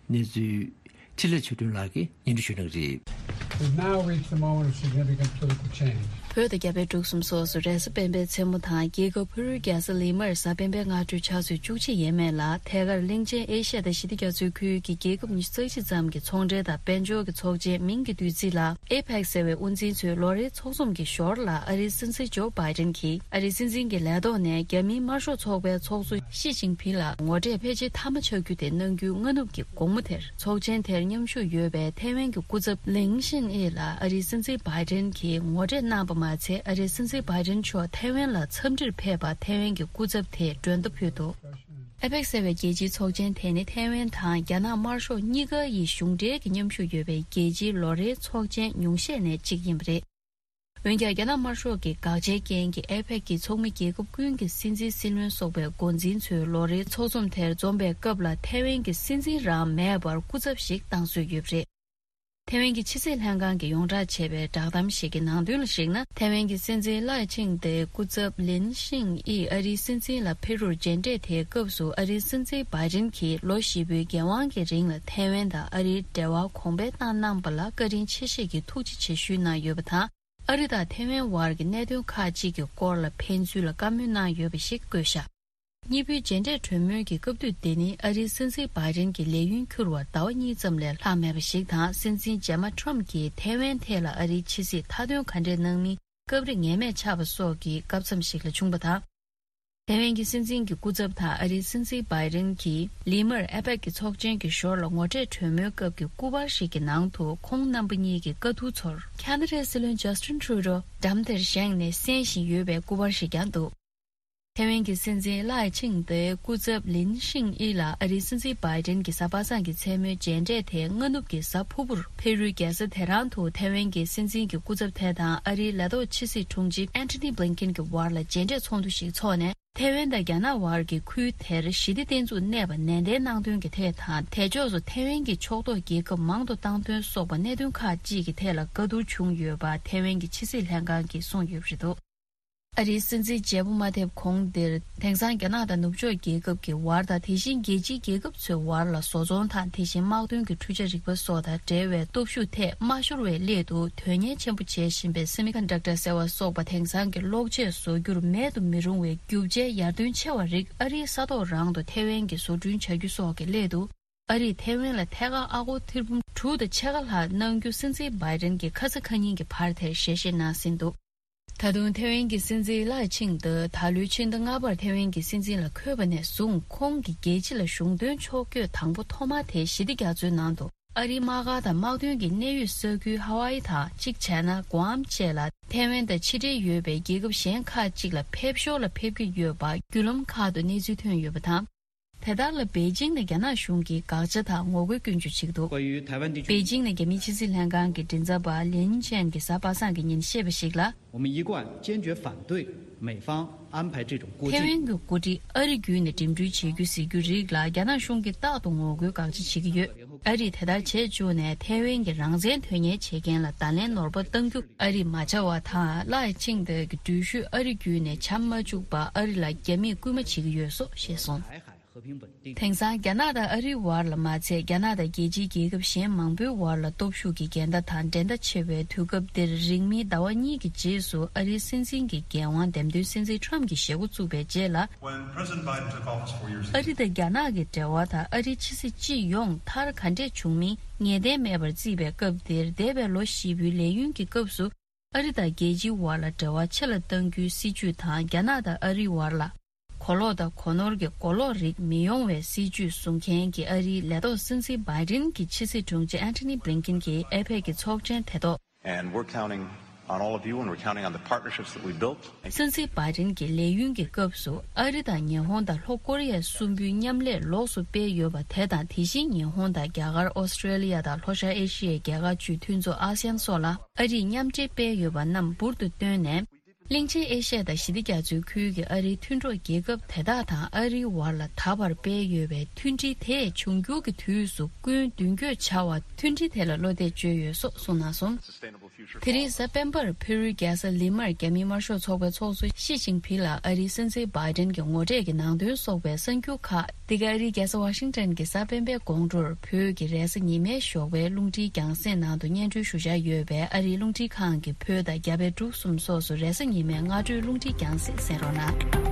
གནས་ཚུལ། འཕྲིན་ལས་ཆོས་སྒྲོན་ལགས་ཀྱིས་སྙན་སྒྲོན་ཞུ་གནང་གི་རེད། We've now reached the moment of significant political change. བོད་དང་རྒྱ་བལ་འབྲུག་གསུམ་སོགས་སུ་རེས་གཟའ་སྤེན་པའི་མཚན་མོ་དང་། རྒྱལ་ཁབ་ཕ་རུའི་རྒྱལ་ས་ལི་མར་གཟའ་སྤེན་པའི་སྔ་དྲོའི་ཆུ་ཚོད་བཅུ་གཅིག་ཡས་མས་ལ། ཐད་ཀར་གླིང་ཆེན་ཨེ་ཤ་ཡ་དང་ཞི་བདེ་རྒྱ་མཚོའི་ཁུལ་གྱི་རྒྱལ་ཁབ་ཉི་ཤུ་རྩ་གཅིག་ཙམ་གྱི་ཚོང་འབྲེལ་དང་དཔལ་འབྱོར་གྱི་ཚོགས་ཆེན་མིང་གི་བསྡུས་ཚིག་ལ་ཨེ་པེག་ཟེར་བའི་དབུ་འཛིན་ཚོའི་ལོ་རེའི་ཚོགས་འཛོམས་ཀྱི་ཞོར་ལ། ཨ་རིའི་སྲིད་འཛིན་ཇོ་བྷའི་ཌེན་གྱིས་ཨ་རིའི་སྲིད་འཛིན་གྱི་ལས་ཐོག་ནས་རྒྱ་མིའི་དམར་ཤོག་ཚོགས་པའི་ཚོགས་གཙོ་ཞི་ཅིན་ཕིང་ལ་ངོ་འཕྲད་ཕལ་ཆེར་མཐའ་མ་ཆགས་རྒྱུ་དེ་གནང་རྒྱུའི་སྔ་ནུབ་ཀྱི་དགོང་མོ་དེར། ཚོགས་ཆེན་དེར་མཉམ་ཞུགས་ཡོད་པའི་ཐའེ་ཝན་གྱི་སྐུ་ཚབ་ལིང་ཤིན་ཨི་ལ་ཨ་རིའི་སྲིད་འཛིན་བྷའི་ཌེན་གྱིས་ངོ་འཕྲད་གནང་པ་མ་ཚད། ཨ་རིའི་སྲིད་འཛིན་བྷའི་ཌེན་མཆོག་ཐའེ་ཝན་ལ་འཚམས་འདྲིར་ཕེབས་པར་ཐའེ་ཝན་གྱི་སྐུ་ཚབ་དེས་མགྲོན་བརྡ་ཕུལ་འདུག་ཨེ་པེག་ཟེར་བའི་རྒྱལ་སྤྱིའི་ཚོགས་ཆེན་དེ་ནི་ཐའེ་ཝན་དང་རྒྱ་ནག་དམར་ཤོག་གཉིས་ཀ་ཡི་གཞུང་འབྲེལ་གྱི་མཉམ་ཞུགས་ཡོད་པའི་རྒྱལ་སྤྱིའི་ལོ་རེའི་ཚོགས་ཆེན་ཉུང་ཤས་ནས་གཅིག་ཡིན་པ་རེད། འོན་ཀྱང་། རྒྱ་ནག་དམར་ཤོག་གི་དགག་བྱའི་རྐྱེན་གྱིས་ཨེ་པེག་གི་ཚོགས་མི་རྒྱལ་ཁབ་ཀུན་གྱི་སྲིད་འཛིན། སྲིད་བློན་སོགས་པའི་འགོ་འཛིན་ཚོའི་ལོ་རེའི་ཚོགས་འཛོམས་དེར་འཛོམས་པའི་སྐབས་ལ། ཐའེ་ཝན་གྱི་སྲིད་འཛིན་རང་མེད་པར་སྐུ་ཚབ་ཞིག་བཏང་སྲོལ་ཡོད་པ་རེད། ཐའེ་ཝན་གྱི་ཕྱི་སྲིད་ལྷན་ཁང་གིས་ཡོངས་བསྒྲགས་བྱས་པའི་བསྒྲགས་གཏམ་ཞིག་གི་ནང་དོན་ལ་གཞིགས་ན། ཐའེ་ཝན་གྱི་སྲིད་འཛིན་ལའེ་ཆིང་ཏེའི་སྐུ་ཚབ་ལིན་ཤིང་ཨི་ཨ་རིའི་སྲིད་འཛིན་ལ་ཕེབས་རོགས་མཇལ་འཕྲད་དེའི་སྐབས་སུ། ཨ་རིའི་སྲིད་འཛིན་བྷའི་ཌེན་གྱིས་ལོ་བཞི་པོའི་འགན་དབང་གི་རིང་ལ་ཐའེ་ཝན་དང་ཨ་རིའི་འབྲེལ་བ་གོང་འཕེལ་བཏང་གནང་པ་ལ་བཀའ་དྲིན་ཆེ་ཞེས་ཀྱི་ཐུགས་རྗེ་ཆེ་ཞུས་གནང་ཡོད་པ་དང་། ཨ་རི་དང་ཐའེ་ཝན་དབར་གྱི་གནད་དོན་ཁག་ཅིག་གི་སྐོར་ལ་ཕན་ཚུན་ལ་བཀའ་མོལ་གནང་ཡོད་པ་ཞིག་བཀོད་བཞག་གཉིས་པོའི་མཇལ་འཕྲད་གྲོས་མོལ་གྱི་སྐབས་དུས་དེ་ནི་ཨ་རིའི་སྲིད་འཛིན་བྷའི་ཌེན་གྱི་ལས་ཡུན་འཁྱོལ་བར་ཟླ་བ་གཉིས་ཙམ་ལས་ལྷག་མེད་པ་ཞིག་དང་། སྲིད་འཛིན་རྗེས་མ་ཊྲམ་གྱིས་ཐའེ་ཝན་ཐད་ལ་ཨ་རིའི་ཕྱི་སྲིད་མཐའ་དོན་ག་འདྲས་གནང་མིན་སྐབས་རེ་ངེས་མེད་ཆགས་པ་སོགས་ཀྱི་སྐབས་མཚམས་ཤིག་ལ་བྱུང་བ་དང་། ཐའེ་ཝན་གྱི་སྲིད་འཛིན་གྱི་སྐུ་ཚབ་དང་ཨ་རིའི་སྲིད་འཛིན་བྷའི་ཌེན་གྱིས་ལི་མར་ཨེ་པེག་གི་ཚོགས་ཆེན་གྱི་ཞོར་ལ་ངོ་འཕྲད་གྲོས་མོལ་སྐབས་ཀྱི་སྐུ་པར་ཞིག་གི་ནང་དུ། ཁོང་རྣམ་པ་གཉིས་ཀྱི་བཀའ་བསྡུར་ཚོར་ཁ་ན་ཌའི་སྲིད་བློན་ཇཱ་སྟིན་ཊུ་རུ་ཌོ་འགྲམ་དེར་བཞེངས་ནས་གསན་བཞིན་ཡོད་པའི་སྐུ་པར་ཞིག་ཀྱང་འདུག་ཐའེ་ཝན་གྱི་སྲིད་འཛིན་ལའེ་ཆིང་ཏེའི་སྐུ་ཚབ་ལིན་ཤིང་ཨི་ལ་ཨ་རིའི་སྲིད་འཛིན་བྷའི་ཌེན་གྱི་གཟའ་པ་སངས་ཀྱི་མཚན་མོའི་མཇལ་འཕྲད་དེ། སྔ་ནུབ་ཀྱི་གཟའ་ཕུར་བུར་ཕེ་རུའི་རྒྱལ་ས་ཏེ་ཧྲན་དུ་ཐའེ་ཝན་གྱི་སྲིད་འཛིན་གྱི་སྐུ་ཚབ་དེ་དང་ཨ་རིའི་ལས་ཐོག་ཕྱི་སྲིད་དྲུང་ཆེ་ཨན་ཐོ་ནི་བྷི་ལིན་ཀིན་གྱི་བར་ལ་མཇལ་འཕྲད་ཚོགས་འདུ་ཞིག་འཚོགས་ནས། ཐའེ་ཝན་དང་རྒྱ་ནག་དབར་གྱི་ཁུལ་དེར་ཞི་བདེ་བརྟན་ཚུགས་གནས་པ་ནན་ཏན་གནང་དོན་གྱི་ཐད་དང་། དེ་ཕྱོགས་སུ་ཐའེ་ཝན་གྱི་ཕྱོགས་གཏོགས་རྒྱལ་ཁབ་མང་དུ་བཏང་དོན་སོགས་པ་གནད་དོན་ཁག་ཅིག་གི་ཐད་ལ་བཀའ་བསྡུར་བྱུང་ཡོད་པ་ཐའེ་ཝན་གྱི་ཕྱི་སྲིད་ལྷན་ཁང་གིས་གསུངས་ཡོད་པ་རེད་འདུག་ཨ་རིའི་སྲིད་འཛིན་བརྗེ་པོ་མ་ཐེབས་གོང་འདིར། དེང་སང་རྒྱ་ནག་དང་ནུབ་ཕྱོགས་རྒྱལ་ཁབ་ཀྱི་བར་དང་། དེ་བཞིན་རྒྱལ་སྤྱིའི་རྒྱལ་ཁབ་ཚོའི་བར་ལ་བཟོ་ཚོང་དང་། དེ་བཞིན་དམག་དོན་གྱི་འཕྲུལ་ཆ་རིག་པ་སོགས་དང་འབྲེལ་བའི་སྟོབས་ཤུགས་ཐད་མ་ཤོར་བའི་སླད་དུ། དོན་གཉེར་ཆེན་པོ་བྱེད་བཞིན་པའི་སེ་མི་ཀོན་ཌག་ཊར་ཟེར་བ་སོགས་པ། དེང་སང་གི་གློག་ཆས་བཟོ་རྒྱུར་མེད་དུ་མི་རུང་བའི་རྒྱུ་ཆའི་ཡར་ཐོན་ཆེ་བ་རིགས་ཨ་རིའི་ས་ཐོག་རང་དུ་ཐའེ་ཝན་གྱིས་བཟོ་སྐྲུན་བྱ་རྒྱུ་སོགས་ཀྱི་སླད་དུ། ཨ་རིས་ཐའེ་ཝན་ལ་ཐད་ཀར་ཨ་སྒོར་ཐེར་འབུམ་དྲུག་དང་ཕྱེད་ཀ་ལྷག་གནང་རྒྱུ། སྲིད་འཛིན་བྷའི་ཌེན་གྱིས་ཁ་ས་ཁ་ཉིན་གྱི་བར་དེར་ཞལ་བཞེས་གནང་ཟིན་འདུག་ད་དུང་ཐའེ་ཝན་གྱི་སྲིད་འཛིན་ལའེ་ཆིང་ཏེ་ད་ལོའི་ཕྱི་ཟླ་ལྔ་པར་ཐའེ་ཝན་གྱི་སྲིད་འཛིན་ལ་འཁོད་པ་ནས་བཟུང་། ཁོང་གིས་རྒྱལ་སྤྱི་ལ་གཞུང་དོན་ཕྱོགས་བསྐྱོད་དང་པོ་ཐོག་མ་དེ་ཞི་བདེ་རྒྱ་མཚོའི་ནང་དུ། ཨ་རིའི་དམག་སྒར་དང་དམག་དོན་གྱི་གནད་ཡོད་ས་ཁུལ་ཧ་ཝཱ་ཨི་དང་། གཅིག་བྱས་ན་གུ་ཨམ་བཅས་ལ་ཐའེ་ཝན་དང་ཕྱི་འབྲེལ་ཡོད་པའི་རྒྱལ་ཁབ་གཞན་ཁག་ཅིག་ལ་ཕེབས་ཞོར་ལ་ཕེབས་ཀྱི་ཡོད་པ་བརྒྱུད་ལམ་ཁག་ཏུ་གནས་ཚུལ་ཐོན་ཡོད་པ་དང་། དེ་ལྟར་ལ་པེ་ཅིང་ནས་རྒྱ་ནག་གཞུང་གིས་དགག་བྱ་དང་ངོ་རྒོལ་སྐྱོན་བརྗོད་བྱེད་ཀྱི་འདུག། 关于台湾地区 པེ་ཅིང་ནས་རྒྱ་མིའི་ཕྱི་སྲིད་ལྷན་ཁང་གི་མགྲིན་ཚབ་པ་ལིན་ཆན་གྱིས་གཟའ་པ་སངས་ཀྱི་ཉིན་བཤད་པ་ཞིག་ལ། 我们一贯坚决反对美方安排这种过境。 ཐེ་ཝན་གྱི་འགོ་ཁྲིད་ཨ་རི་བརྒྱུད་ནས་འགྲིམ་འགྲུལ་བྱེད་རྒྱུ་ཟེར་རྒྱུ་རིགས་ལ་རྒྱ་ནག་གཞུང་གིས་རྟག་ཏུ་ངོ་རྒོལ་དགག་བྱ་བྱེད་ཀྱི་ཡོད། ཨ་རིས་དེ་ལྟར་བྱེད་བཅུག་ནས་ཐེ་ཝན་གྱི་རང་བཙན་དོན་གཉེར་བྱེད་མཁན་ལ་བརྡ་ལན་ནོར་བ་གཏང་རྒྱུ་ཨ་རིས་མ་བྱ་བ་དང་། ལའེ་ཆིང་ཏེ་གི་འགྲུལ་བཞུད་ཨ་རི་བརྒྱུད་ནས་བྱ་མ་བཅུག་པར་ཨ་རི་ལ་རྒྱ་མིས་སྐུལ་མ་བྱེད་ཀྱི་ཡོད་སོགས་བཤད་སོང་། དེང་སང་རྒྱ་ནག་དང་ཨ་རིའི་བར་ལ་མ་ཚད། རྒྱ་ནག་དང་རྒྱལ་སྤྱིའི་རྒྱལ་ཁབ་གཞན་མང་པོའི་བར་ལ་སྟོབས་ཤུགས་ཀྱི་འགལ་ཟླ་དང་འགྲན་ཟླ་ཆེ་བའི་དུས་སྐབས་འདིར། རིང་མིན་ཟླ་བ་གཉིས་ཀྱི་རྗེས་སུ་ཨ་རིའི་སྲིད་འཛིན་གྱི་འགན་དབང་འདེམས་ཐོན་སྲིད་འཛིན་ཁྲམ་གྱིས་བཞེས་འགོ་བཙུགས་པའི་རྗེས་ལ། When President Biden took office four years ago, ཨ་རི་དང་རྒྱ་ནག་གི་འབྲེལ་བ་དང་ཨ་རིའི་ཕྱི་སྲིད་སྤྱི་ཡོངས་མཐར་ག་འདྲས་བྱུང་མིན་ངེས་གཏན་མེད་པར་བརྩིས་པའི་སྐབས་འདིར། འདས་པའི་ལོ་བཞི་པོའི་ལས་ཡུན་གྱི་སྐབས་སུ། ཨ་རི་དང་རྒྱལ་སྤྱིའི་བར་ལ་འབྲེལ་བ་ཆེ་ལ་གཏང་རྒྱུའི་སྲིད་བྱུས་དང་། རྒྱ་ནག་དང་ཨ་རིའི་བར་ལ་གོ་ལོག་དང་གོ་ནོར་གྱི་གོ་ལོག་རིགས་མི་ཡོང་བའི་སྲིད་བྱུས་བཟུང་མཁན་གྱི་ཨ་རིའི་ལས་ཐོག་སྲིད་འཛིན་བྷའི་ཌེན་གྱི་ཕྱི་སྲིད་དྲུང་ཆེ་ཨན་ཐོ་ནི་བྷི་ལིན་ཀིན་གྱིས་ཨེ་ཕེག་གི་ཚོགས་ཆེན་དེ་ཐོག And we're counting on all of you, and we're counting on the partnerships that we built. སྲིད་འཛིན་བྷའི་ཌེན་གྱིས་ལས་ཡུན་གྱི་སྐབས་སུ་ཨ་རི་དང་ཉི་ཧོང་དང་ལྷོ་ཀོ་རི་ཡ་གསུམ་པོའི་མཉམ་ལས་ལོགས་སུ་སྤེལ་ཡོད་པ་དེ་དང་། དེ་བཞིན་ཉི་ཧོང་དང་རྒྱ་གར། ཨོ་སི་ཀྲེ་ལི་ཡ་དང་ལྷོ་ཤར་ཨེ་ཤི་ཡའི་རྒྱལ་ཁག་བཅུའི་མཐུན་ཚོགས་ཨ་སི་ཡན་སོགས་ལ་ཨ་རིས་མཉམ་འབྲེལ་སྤེལ་ཡོད་པ་རྣམས་འབུར་དུ་བཏོན་ནས། གླིང་ཆེན་ཨེ་ཤ་ཡ་དང་ཞི་བདེ་རྒྱ་མཚོའི་ཁུལ་གྱི་ཨ་རིའི་མཐུན་གྲོགས་རྒྱལ་ཁབ་དེ་དག་དང་ཨ་རིའི་བར་ལ་ད་བར་སྤེལ་ཡོད་པའི་མཐུན་སྒྲིལ་དེས་འབྱུང་འགྱུར་གྱི་དུས་སུ་སྐུན་མདུན་སྐྱོད་བྱ་བར་མཐུན་སྒྲིལ་དེ་ལ་བློ་གཏད་བཅོལ་ཡོད་སོགས་གསུངས་གནང་སོང་། དེ་རིང་གཟའ་སྤེན་པར་ཕེ་རུའི་རྒྱལ་ས་ལི་མར་རྒྱ་མིའི་དམར་ཤོག་ཚོགས་པའི་ཚོགས་གཙོ་ཞི་ཅིན་ཕིང་ལ་ཨ་རིའི་སྲིད་འཛིན་བྷའི་ཌེན་གྱི་ངོ་འཕྲད་ཀྱི་ནང་དོན་སོགས་པའི་གསར་འགྱུར་ཁག། འདི་ག་ཨ་རིའི་རྒྱལ་ས་ཝ་ཤིང་ཊོན་གྱི་གཟའ་སྤེན་པའི་དགོང་དྲོར་བོད་ཀྱི་རེས་གཟའ་ཉི་མའི་ཞོགས་པའི་རླུང་འཕྲིན་རྒྱང་སྲིང་ནང་དུ་སྙན་སྒྲོན་ཞུ་འཆར་ཡོད་པས། ཨ་རིའི་རླུང་འཕྲིན་ཁང་གི་བོད་དང་རྒྱ་བལ་འབྲུག་གསུམ་སོགས་སུ་རེས་གཟའ་ཉི་མའི་སྔ་དྲོའི་རླུང་འཕྲིན་རྒྱང་སྲིང་གསན་རོགས་གནང་།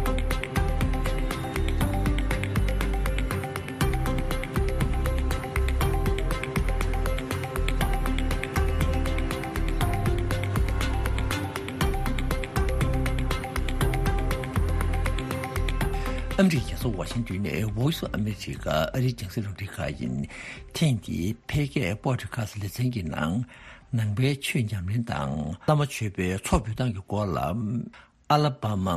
ཨ་མི་རི་ཀའི་རྒྱལ་ས་ཝ་ཤིང་ཏོན་ནས་Voice of America ཨ་རིའི་རྒྱང་སྲིང་རླུང་འཕྲིན་ཁང་ཡིན། ཐེངས་འདིའི་འཕེལ་རྒྱས་པོ་ཌི་ཁ་སི་ལེ་ཚན་གྱི་ནང་། ནང་པའི་ཆོས་ཉམས་ལེན་དང་བླ་མ་མཆོད་པའི་ཚོགས་འབུལ་སྟངས་ཀྱི་སྐོར་ལ། ཨ་ལ་བ་མ་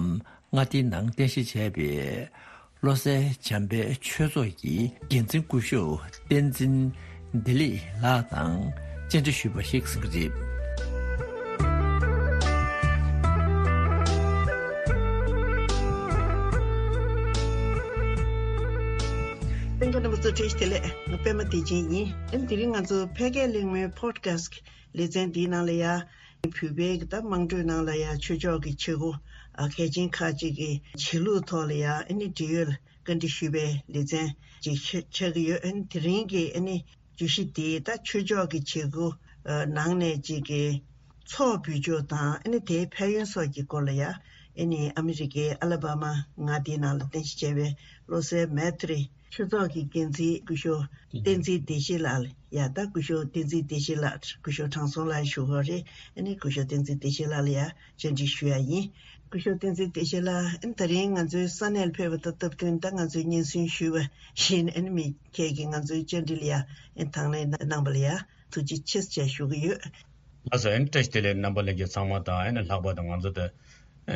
མངའ་སྡེའི་ནང་རྟེན་གཞི་བྱས་པའི་བློ་གསལ་འཇམ་དཔལ་ཆོས་ཚོགས་ཀྱི་འགན་འཛིན་སྐུ་ཞབས་བསྟན་འཛིན་བདེ་ལེགས་ལགས་དང་བཅར་འདྲི་ཞུས་པ་ཞིག་གསན་གྱི་རེད། གསན་མཁན་རྣམ་པ་ཚོ་བཀྲ་ཤིས་བདེ་ལེགས། ང་པད་མ་བདེ་ཆེན་ཡིན། ཨ་ནི་དེ་རིང་ང་ཚོ་འཕེལ་རྒྱས་གླེང་མོལ་པོ་ཌི་ཁ་སི་ལེ་ཚན་འདིའི་ནང་ལ་ཡ། བོད་པའི་གི་ད་དམངས་ཁྲོད་ནང་ལ་ཡ་ཆོས་ཕྱོགས་ཀྱི་བྱེད་སྒོ་ཨ་གལ་ཆེན་ཁག་ཅིག་གི་བྱེད་ལུགས་ཐོག་ལ་ཡ་ཨ་ནི་འབྲེལ་ཡོད་ལ་བཀའ་འདྲི་ཞུས་པའི་ལེ་ཚན་ཅིག་ཆགས་ཆགས་ཀྱི་ཡོད། ཨ་ནི་དེ་རིང་གི་ཨ་ནི་བརྗོད་གཞི་དེ་ད་ཆོས་ཕྱོགས་ཀྱི་བྱེད་སྒོ་ཨ་ནང་ནས་ཅིག་གི་ཚོགས་འབུལ་ཕྱོགས་དང་ཨ་ནི་དེའི་ཕན་ཡོན་སོགས་ཀྱི་སྐོར་ལ་ཡ་ཨ་ནི་ཨ་མི་རི་ཀའི་ཨ་ལ་བྷ་མ་མངའ་སྡེའི་ནང་ལ་རྟེན་གཞི་བྱས་པའི་བློ་གསལ་མེ་ཏྲི་ཆོས་ཚོགས་ཀྱི་འགན་འཛིན་སྐུ་ཞབས་བསྟན་འཛིན་བདེ་ཆེན་ལགས་ལ་ཡ། ད་སྐུ་ཞབས་བསྟན་འཛིན་བདེ་ཆེན་ལགས། སྐུ་ཞབས་དྲང་སྲོང་ལགས་ཞུ་གི་རེད། ཨ་ནི་སྐུ་ཞབས་བསྟན་འཛིན་བདེ་ཆེན་ལགས་ལ་ཡ་བཅར་འདྲི་ཞུ་ཡ་ཡིན། སྐུ་ཞབས་བསྟན་འཛིན་བདེ་ཆེན་ལགས། ཨ་ནི་ད་རིང་ང་ཚོའི་ས་གནས་ལ་ཕེབས་པ་དང་སྟབས་བསྟུན་ད་ང་ཚོས་སྙན་སེང་ཞུས་པ་བཞིན་ཨ་ནི་མི་ཁྱེད་ཀྱིས་ང་ཚོའི་བཅར་འདྲི་ལ་ཡ་ཨ་ནི་དང་ལེན་གནང་པ་ལ་ཡ་ཐུགས་རྗེ་ཆེ་ཟེར་ཞུ་གི་ཡོད། ལགས་སོ། ཨ་ནི་བཀྲ་ཤིས་བདེ་ལེགས། རྣམ་པ་ལྷན་རྒྱས་ཚང་མ་དང་ཨ་ནི་ལྷག་པར་དུ་ང་ཚོ་ད་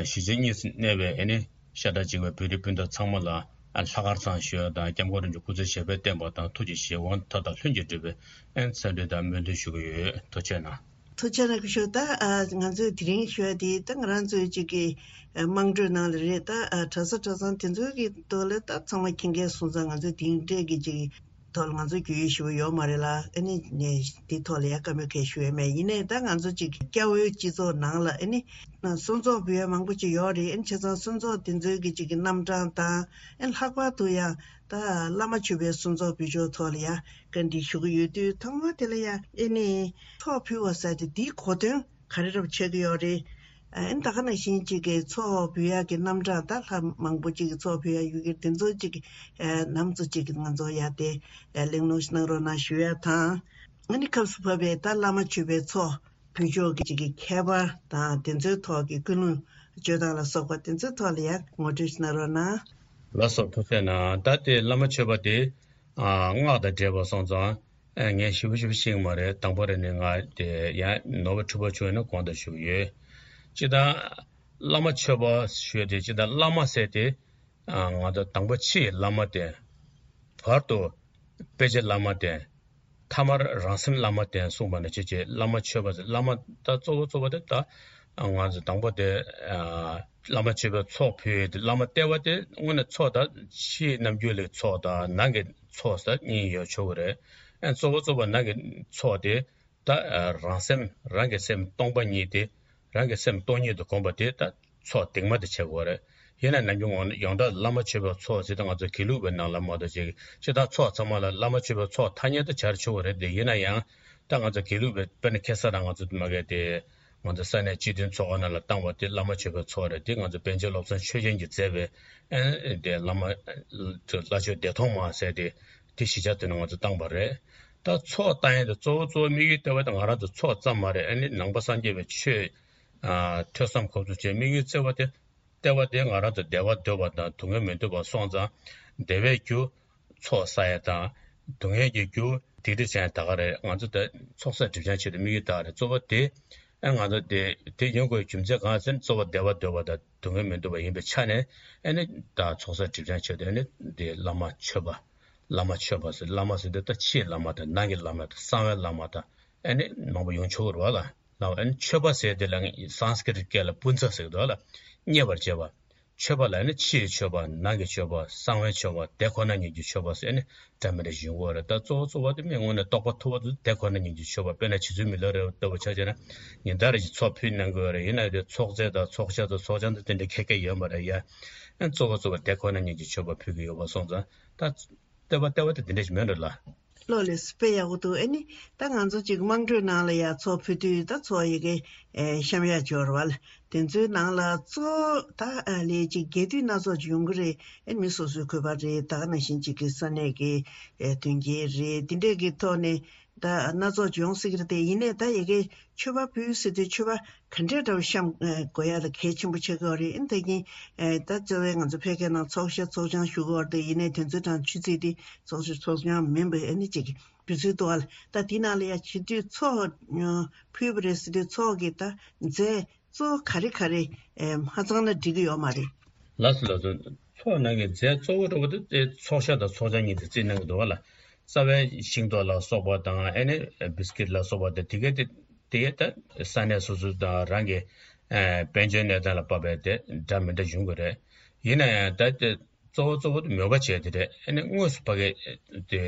གཞིས་བྱེས་གཉིས་སུ་གནས་པའི་ཨ་ནི་ཤ་ཁྲག་གཅིག་པའི་བོད་རིགས་སྤུན་ཟླ་ཚང་མ་ལ་ཨ་ལྷག་དཀར་བཟང་ཞུ་ཡ་དང་། སྐྱབས་མགོན་རིན་པོ་ཆེ་སྐུ་ཚེ་ཞབས་པད་བརྟན་པ་དང་ཐུགས་ཀྱི་བཞེད་དགོངས་མཐའ་དག་ལྷུན་གྱིས་འགྲུབ་པའི་ཨ་ནི་འཚམས་འདྲི་དང་སྨོན་འདུན་ཞུ་གི་ཡོད། ཐུགས་རྗེ་གནང་། ཐུགས་རྗེ་གནང་། སྐུ་ཞབས། ད་ཨ་ང་ཚོས་དེ་རིང་ཞུ་ཡ་དེ་ད་ང་རང་ཚོའི་གཅིག་གི་ཨ་དམངས་ཁྲོད་ནང་ལ་རེད། ད་ཨ་གྲྭ་ས་གྲྭ་ཚང་དེ་ཚོའི་གི་ཐོག་ལ་ད་ཚང་མ་མཁྱེན་མཁན་སོང་ཙང་ང་ཚོས་དེ་འདྲས་གི་གཅིག་ཐོག་ལ་ང་ཚོ་རྒྱུས་ཡོད་ཞུ་བ་ཡོད་མ་རེད་ལ། ཨ་ནི་ནས་དེ་ཐོག་ལ་ཡ་བཀའ་མོལ་གང་ཞུ་ཡ་མེད། ཡིན་ནའི་ད་ང་ཚོ་གཅིག་སྐྱ་བོའི་སྤྱི་ཚོགས་ནང་ལ་ཨ་ནི་གསོལ་ཚོགས་འབུལ་ཡ་མང་པོ་ཅིག་ཡོད་རེད། ཨ་ནི་བྱས་ཙང་གསོལ་ཚོགས་དེ་ཚོའི་གི་གཅིག་གི་རྣམ་གྲངས་དང་། ཨ་ནི་ལྷག་པར་དུ་ཡང་ད་བླ་མ་མཆོད་པའི་གསོལ་ཚོགས་འབུལ་ཕྱོགས་ཐོག་ལ་ཡ་བཀའ་འདྲི་ཞུ་གི་ཡོད་དུས། ཐོག་མ་དེ་ལ་ཡ་ཨ་ནི་ཚོགས་ཕུལ་བ་ཟེར་དེ་འདིའི་གོ་དོན་ག་རེ་འདྲ་པོ་ཆགས་ཀྱི་ཡོད་རེད། ཨ་ནི་ད་ག་ནང་བཞིན་གཅིག་གི་ཚོགས་འབུལ་ཡག་གི་རྣམ་གྲངས། ད་ལྷ་མང་པོ་གཅིག་གི་ཚོགས་འབུལ་ཡག་ཡོད་ཀྱི་དེ་ཚོ་གཅིག་གི་ཨ་ནམ་ཚོ་གཅིག་གི་ང་ཚོ་ཡ་དེ་ཨ་གླེང་སློང་ཞིག་གནང་རོགས་གནང་ཞུ་ཡ་དང་། ཨ་ནི་སྐབས་སུ་བབས་པའི་ད་བླ་མ་མཆོད་པའི་ཚོགས་འབུལ་ཕྱོགས་ཀྱི་གཅིག་གི་ཁྱད་པར་དང་དེ་ཚོའི་ཐོག་གི་ཀུན་སློང་བཅོས་སྟངས་ལ་སོགས་པ་དེ་ཚོའི་ཐོག་ལ་ཡ་ངོ་སྤྲོད་ཞིག་གནང་རོགས་གནང་། ལགས་སོ། ཐུགས་རྗེ་གནང་། ད་དེ་བླ་མ་མཆོད་པ་དེ་ཨ་སྔགས་དང་འབྲེལ་བ་སོང་ཙང་། ཨ་ངས་ཞིབ་པོ་ཞིབ་པོ་ཤེས་ཀྱི་མ་རེད། དང་པོ་རེད་ནས་ང་དེ་ཡང་ནོར་བ་འཁྲུལ་པ་བྱུང་ཡོད་ན་དགོངས་དག་ཞུ་གི་ཡོད། སྤྱིར་བཏང་བླ་མ་མཆོད་པ་ཞུས་ཏེ། སྤྱིར་བཏང་བླ་མ་ཟེར་དེ་ཨ་ང་ཚོ་དང་པོ་ཕྱི་ཡི་བླ་མ་དེ། བར་དུ་དཔེ་ཆ་བླ་མ་བསྟེན། ཐ་མར་རང་སེམས་བླ་མ་བསྟེན་གསུངས་པ་ནང་བཞིན་བྱས་བླ་མ་མཆོད་པ་ཟེར། བླ་མ་ད་གཙོ་བོ་གཙོ་བོ་དེ་ད་ང་ཚོ་དང་པོ་དེ་བླ་མ་མཆོད་པའི་ཚོགས་ཕུལ་ཡས་དེ། བླ་མ་ལྟེ་བ་དེ་དངོས་གནས་ཚོགས་ད་ཕྱིའི་རྣམ་འགྱུར་ལས་ཚོགས་དང་ནང་གི་ཚོགས་ཟེར་གཉིས་ཡོད་ཆོག་གི་རེད། ཨ་གཙོ་བོ་གཙོ་བོ་ནང་གི་ཚོགས་དེ་ད་རང་སེམས་རང་གི་སེམས་སྟོང་པ་ཉིད་དེ། རང་གི་སེམས་སྟོང་ཉིད་དུ་བསྒོམ་པ་དེ་ད་ཚོགས་གདིང་མ་དེ་བྱེད་དགོས་རེད། ཡིན་ན་ནམ་རྒྱུན་ཡོངས་གྲགས་བླ་མ་མཆོད་པའི་ཚོགས་ཟེར་ད་ང་ཚོ་དགེ་ལུགས་པའི་ནང་ལ་མ་གཏོགས་ཅིག་སྤྱིར་བཏང་ཚོགས་ཚང་མ་ལ་བླ་མ་མཆོད་པའི་ཚོགས་ཐ་སྙད་དུ་སྦྱར་ཆོག་གི་རེད་དེ། ཡིན་ན་ཡང་ད་ང་ཚོ་དགེ་ལུགས་པའི་དཔེར་ན་ཁ་སང་རང་ང་ཚོ་མ་གི་དེ་ང་ཚོ་ས་གནས་སྤྱི་མཐུན་ཚོགས་པ་ནང་ལ་བཏང་བ་དེ་བླ་མ་མཆོད་པའི་ཚོགས་རེད། དེ་ང་ཚོ་པཎ་ཆེན་བློ་བཟང་ཆོས་རྒྱན་གྱིས་མཛད་པའི་ཨ་དེ་བླ་མ་ལྷ་མཆོག་བདེ་སྟོང་མ་ཟེར་དེ་དེ་གཞིས་ཆགས་དེ་ནང་ང་ཚོ་བཏང་བ་རེད། ད་ཚོགས་བཏང་ཡས་དེ་གཙོ་བོ་གཙོ་བོ་དམིགས་ཡུལ་ལྟེ་བ་དེ་ང་རང་ཚོ་ཚོགས་ཙམ་མ་རེད། ཨ་ནི་ནང་པ་སངས་རྒྱས་པའི་ཆོས་ཨ་ཐོས་བསམ་སྒོམ་གསུམ་བྱས་དམིགས་ཡུལ་ལྟེ་བ་དེ་ལྟེ་བ་དེ་ང་རང་ཚོ་བདེ་བ་འདོད་པ་དང་སྡུག་བསྔལ་མི་འདོད་པ་སོང་ཙང་བདེ་བའི་རྒྱུ་ཚོགས་བསགས་ཡས་དང་སྡུག་བསྔལ་གྱི་རྒྱུ་སྡིག་སྒྲིབ་སྦྱང་ཡས་ད་ག་རེད། ང་ཚོ་ད་ཚོགས་བསགས་སྒྲིབ་སྦྱང་ཆེད་དུ་དམིགས་ཡུལ་ད་ག་རེད། གཙོ་བོ་དེ་ཨ་ང་ཚོ་དེ་དེ་ཡོང་དགོས་རྒྱུ་མཚན་གང་ཟེར་ན་གཙོ་བོ་བདེ་བ་འདོད་པ་དང་སྡུག་བསྔལ་མི་འདོད་པ་ཡིན་པའི་ཆ་ནས་ཨ་ནི་ད་ཚོགས་བསགས་སྒྲིབ་སྦྱང་ཆེད་དུ་ཨ་ནི་དེ་བླ་མ་མཆོད་པ། བླ་མ་མཆོད་པ་ཟེར། བླ་མ་ཟེར་དུས་ད་ཕྱིའི་བླ་མ་དང་ནང་གི་བླ་མ་དང་གསང་བའི་བླ་མ་དང་ཨ་ནི་མང་པོ་ཡོང་ཆོག་གི་རེད་བ་ལ། ལ་ཨ་ནི་མཆོད་པ་ཟེར་དེ་ལ་སཾ་སྐྲྀ་ཏ་སྐད་ལ་པུཉྩ་ཟེར་གི་འདུག་བ་ལ། མཉེས་པར་བྱེད་པ། མཆོད་པ་ལ་ཨ་ནི་ཕྱིའི་མཆོད་པ་ནང་གི་མཆོད་པ་གསང་བའི་མཆོད་པ་དེ་ཁོ་ན་ཉིད་ཀྱི་མཆོད་པ་ཟེར་ཨ་ནི་འདྲ་མི་འདྲ་ཞིག་ཡོང་གི་ཡོད་རེད། ད་གཙོ་བོ་གཙོ་བོ་དེ་མི་དངོས་གནས་རྟོགས་པ་ཐུབ་པ་དེ་དེ་ཁོ་ན་ཉིད་ཀྱི་མཆོད་པ། དཔེར་ན་རྗེ་བཙུན་མི་ལ་རས་པ་ལྟ་བུ་ཆ་བཞག་ན་ཉིན་ལྟར་གྱི་ཚོགས་ཕུལ་གནང་གི་ཡོད་རེད། ཡིན་ན་དེ་ཚོགས་རྫས་དང་ཚོགས་ཤ་དང་ཚོགས་ཆང་དང་དེ་འདྲ་ཁྱད་ཁྱད་ཡོད་མ་རེད་ཡ། ཨ་གཙོ་བོ་གཙོ་བོ་དེ་ཁོ་ན་ཉིད་ཀྱི་མཆོད་པ་ཕུལ་གྱི་ཡོད་པ་སོང་ཙང་ད། ལྟེ་བ་ལྟེ་བ་དེ་འདི་འདྲ་ཞིག་མེད་འགྲོ་ལ། ལོ་ལེགས་དཔེ་ཡག་པོ་འདུག་ཨ་ནི་ད་ང་ཚོ་ཅིག་དམངས་ཁྲོད་ནང་ལ་ཡ་ཚོགས་ཕུལ་དུས་ད་ཚོགས་ཡི་གེ་ཨེ་བཤམས་ཡ་འབྱོར་བ་ལ། དེ་ཚོའི་ནང་ལ་གཙོ་བོ་ད་ཨ་ལས་ཅིག་རྒྱས་བསྡུས་སྣ་ཚོགས་ཅིག་ཡོང་གི་རེད། ཨ་ནི་མི་སོ་སོའི་གུས་པ་རེད། ད་ག་ནང་བཞིན་ཅིག་གི་ས་གནས་ཀྱི་ཨེ་མཐུན་རྐྱེན་རེད། དེ་འདྲས་ཀྱི་ཐོག་ནས་ད་སྣ་ཚོགས་ཅིག་ཡོང་སྲིད་ཀྱི་རེད་དེ། ཡིན་ནའི་ད་ཡི་གེ་མཆོད་པ་ཕུལ་ཟེར་དུས་མཆོད་པ་ག་འདྲས་འདྲ་བོ་བཤམས་ཨེ་དགོས་ཡ་ལ་གལ་ཆེན་པོ་ཆགས་ཀྱི་ཡོད་རེད། ཨ་ནི་ད་གིན་ཨེ་ད་གཙོ་བོའི་ང་ཚོ་ཕལ་སྐད་ནང་ཚོགས་ཤ་ཚོགས་ཆང་ཞུ་གི་ཡོད་རེད་དེ། ཡིན་ནའི་དེ་ཚོའི་གྲངས་ཆུ་ཚོད་དེ་ཚོགས་ཤ་ཚོགས་ཆང་མིན་པའི་ཨ་ནི་ཅིག་དུས་ཚོད་འདུག་ཨ། ད་དེ་ནང་ལ་ཡ་བྱེད་དུས་ཚོགས་ཨ་ཕུལ་བ་རེད་ཟེར་དུས་ཚོགས་ཀྱི་ད་རྫས་གཙོ་བོ་ག་རེ་ག་རེ་ཨེ་མ་ཚང་ན་འགྲིག་གི་ཡོད་མ་རེད། ལགས་སོ་ལགས་སོ། ཚོགས་ནང་གི་རྫས་གཙོ་བོ་འདྲ་བོ་དེ་ཚོགས་ཤ་དང་ཚོགས་ཆང་གཉིས་དེ་རྩིས་གནང་གི་འདུག་བ་ལ། རྩ་བའི་ཤིང་ཏོག་ལ་སོགས་པ་དང་ཨ་ནི་བིས་ཀིཊ་ལ་སོགས་པ་དེ་དེ་གའི་དེ་དེ་གའི་ད་ས་གནས་སོ་སོ་དང་རང་གི་ཨ་དཔལ་འབྱོར་གནས་སྟངས་ལ་དཔག་པའི་དེ་འདྲ་མི་འདྲ་ཡོང་གི་རེད། ཡིན་ན་ཡང་ད་དེ་གཙོ་བོ་གཙོ་བོ་དེ་མོས་པ་བྱས་དེ་རེད། ཨ་ནི་དངོས་སུ་ཕ་གི་དེ་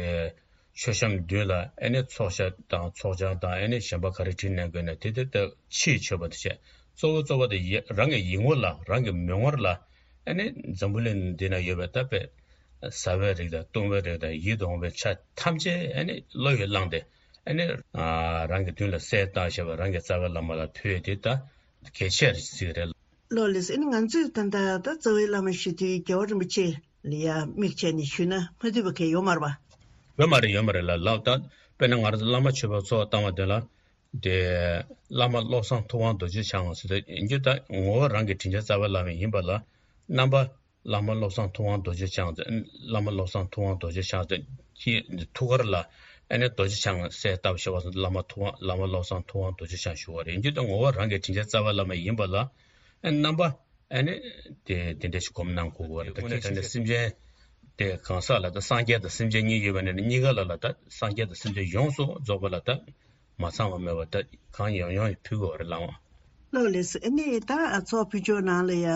མཆོད་བཤམས་མདུན་ལ་ཨ་ནི་ཚོགས་ཤ་དང་ཚོགས་ཆང་དང་ཨ་ནི་གཞན་པ་ག་རེ་བྲིས་གནང་དགོས་ན་དེ་དེ་ལྟ་ཕྱིའི་མཆོད་པ་དེ་བྱས། གཙོ་བོ་གཙོ་བོ་དེ་ཡ་རང་གི་ཡིད་ངོ་ལ་རང་གི་མིག་ངོར་ལ་ཨ་ནི་འཛམ་བུ་གླིང་འདི་ན་ཡོད་པའི་ད་དཔེ་ཟ་བའི་རིགས་དང་བཏུང་བའི་རིགས་དང་ཡིད་དུ་འོང་བའི་ཆ་ཐམས་ཅད་ཨ་ནི་བློ་ཡིས་བླངས་ཏེ་ཨ་ནི་རང་གི་མདུན་ལ་གསལ་བཏབ་བྱས་པ་རང་གི་རྩ་བའི་བླ་མ་ལ་ཕུལ་དེ་ད་གལ་ཆེ་རེད་ཟེར་གི་རེད། ལོ་ལེགས། ཨ་ནི་ང་ཚོས་ད་ལྟ་ད་རྩ་བའི་བླ་མ་ཞུ་དུས་རྒྱལ་བ་རིན་པོ་ཆེ་ལ་ཡ་དམིགས་བྱས་ནས་ཞུས་ན་མ་འཐུས་པ་གང་ཡོད་མ་རེད་པ། ཡོད་མ་རེད། ཡོད་མ་རེད་ལ་ལགས། ད་དཔེར་ན་ང་རང་ཚོ་བླ་མ་མཆོད་པའི་ཚོགས་བཏང་བ་དེ་ལ་དེ་བླ་མ་བློ་བཟང་ཐུབ་དབང་རྡོ་རྗེ་འཆང་ཟེར་ཏེ་ཡིན་རྒྱུ་ད་ངོ་བོ་རང་གི་དྲིན་ཅན་རྩ་བའི་བླ་མ་ཡིན་པ་ལ་རྣམ་པ་བླ་མ་བློ་བཟང་ཐུབ་དབང་རྡོ་རྗེ་འཆང་ཟེར། བླ་མ་བློ་བཟང་ཐུབ་དབང་རྡོ་རྗེ་འཆང་ཟེར་གྱི་ཐུགས་ཀར་ལ་ཨ་ནི་རྡོ་རྗེ་འཆང་གསལ་བཏབ་བྱས་པ་སོང་བླ་མ་ཐུབ་དབང་བླ་མ་བློ་བཟང་ཐུབ་དབང་རྡོ་རྗེ་འཆང་ཞུ་བ་རེད། ཡིན་རྒྱུ་ད་ངོ་བོ་རང་གི་དྲིན་ཅན་རྩ་བའི་བླ་མ་ཡིན་པ་ལ་ཨ་རྣམ་པ་ཨ་ནི་དེ་དེ་འདྲ་ཞིག་སྒོམ་གནང་དགོས་པ་རེད། དངོས་གནས་དྲང་གནས་སེམས་ཅན་དེ་གང་ཟག་ལ་ད་སངས་རྒྱས་དང་སེམས་ཅན་གཉིས་ཡོད་པ་ནས་གཉིས་ཀ་ལ་ལ་ད་སངས་རྒྱས་དང་སེམས་ཅན་ཡོངས་སུ་རྫོགས་པ་ལ་ད་མ་ཚང་བ་མེད་པ་ད་གང་ཡོང་ཡོང་ཕུལ་དགོས་པ་རེད་ལགས། ལགས་ལེགས། ཨ་ནི་ད་ཚོགས་ཕུལ་ཕྱོགས་ནང་ལ་ཡ་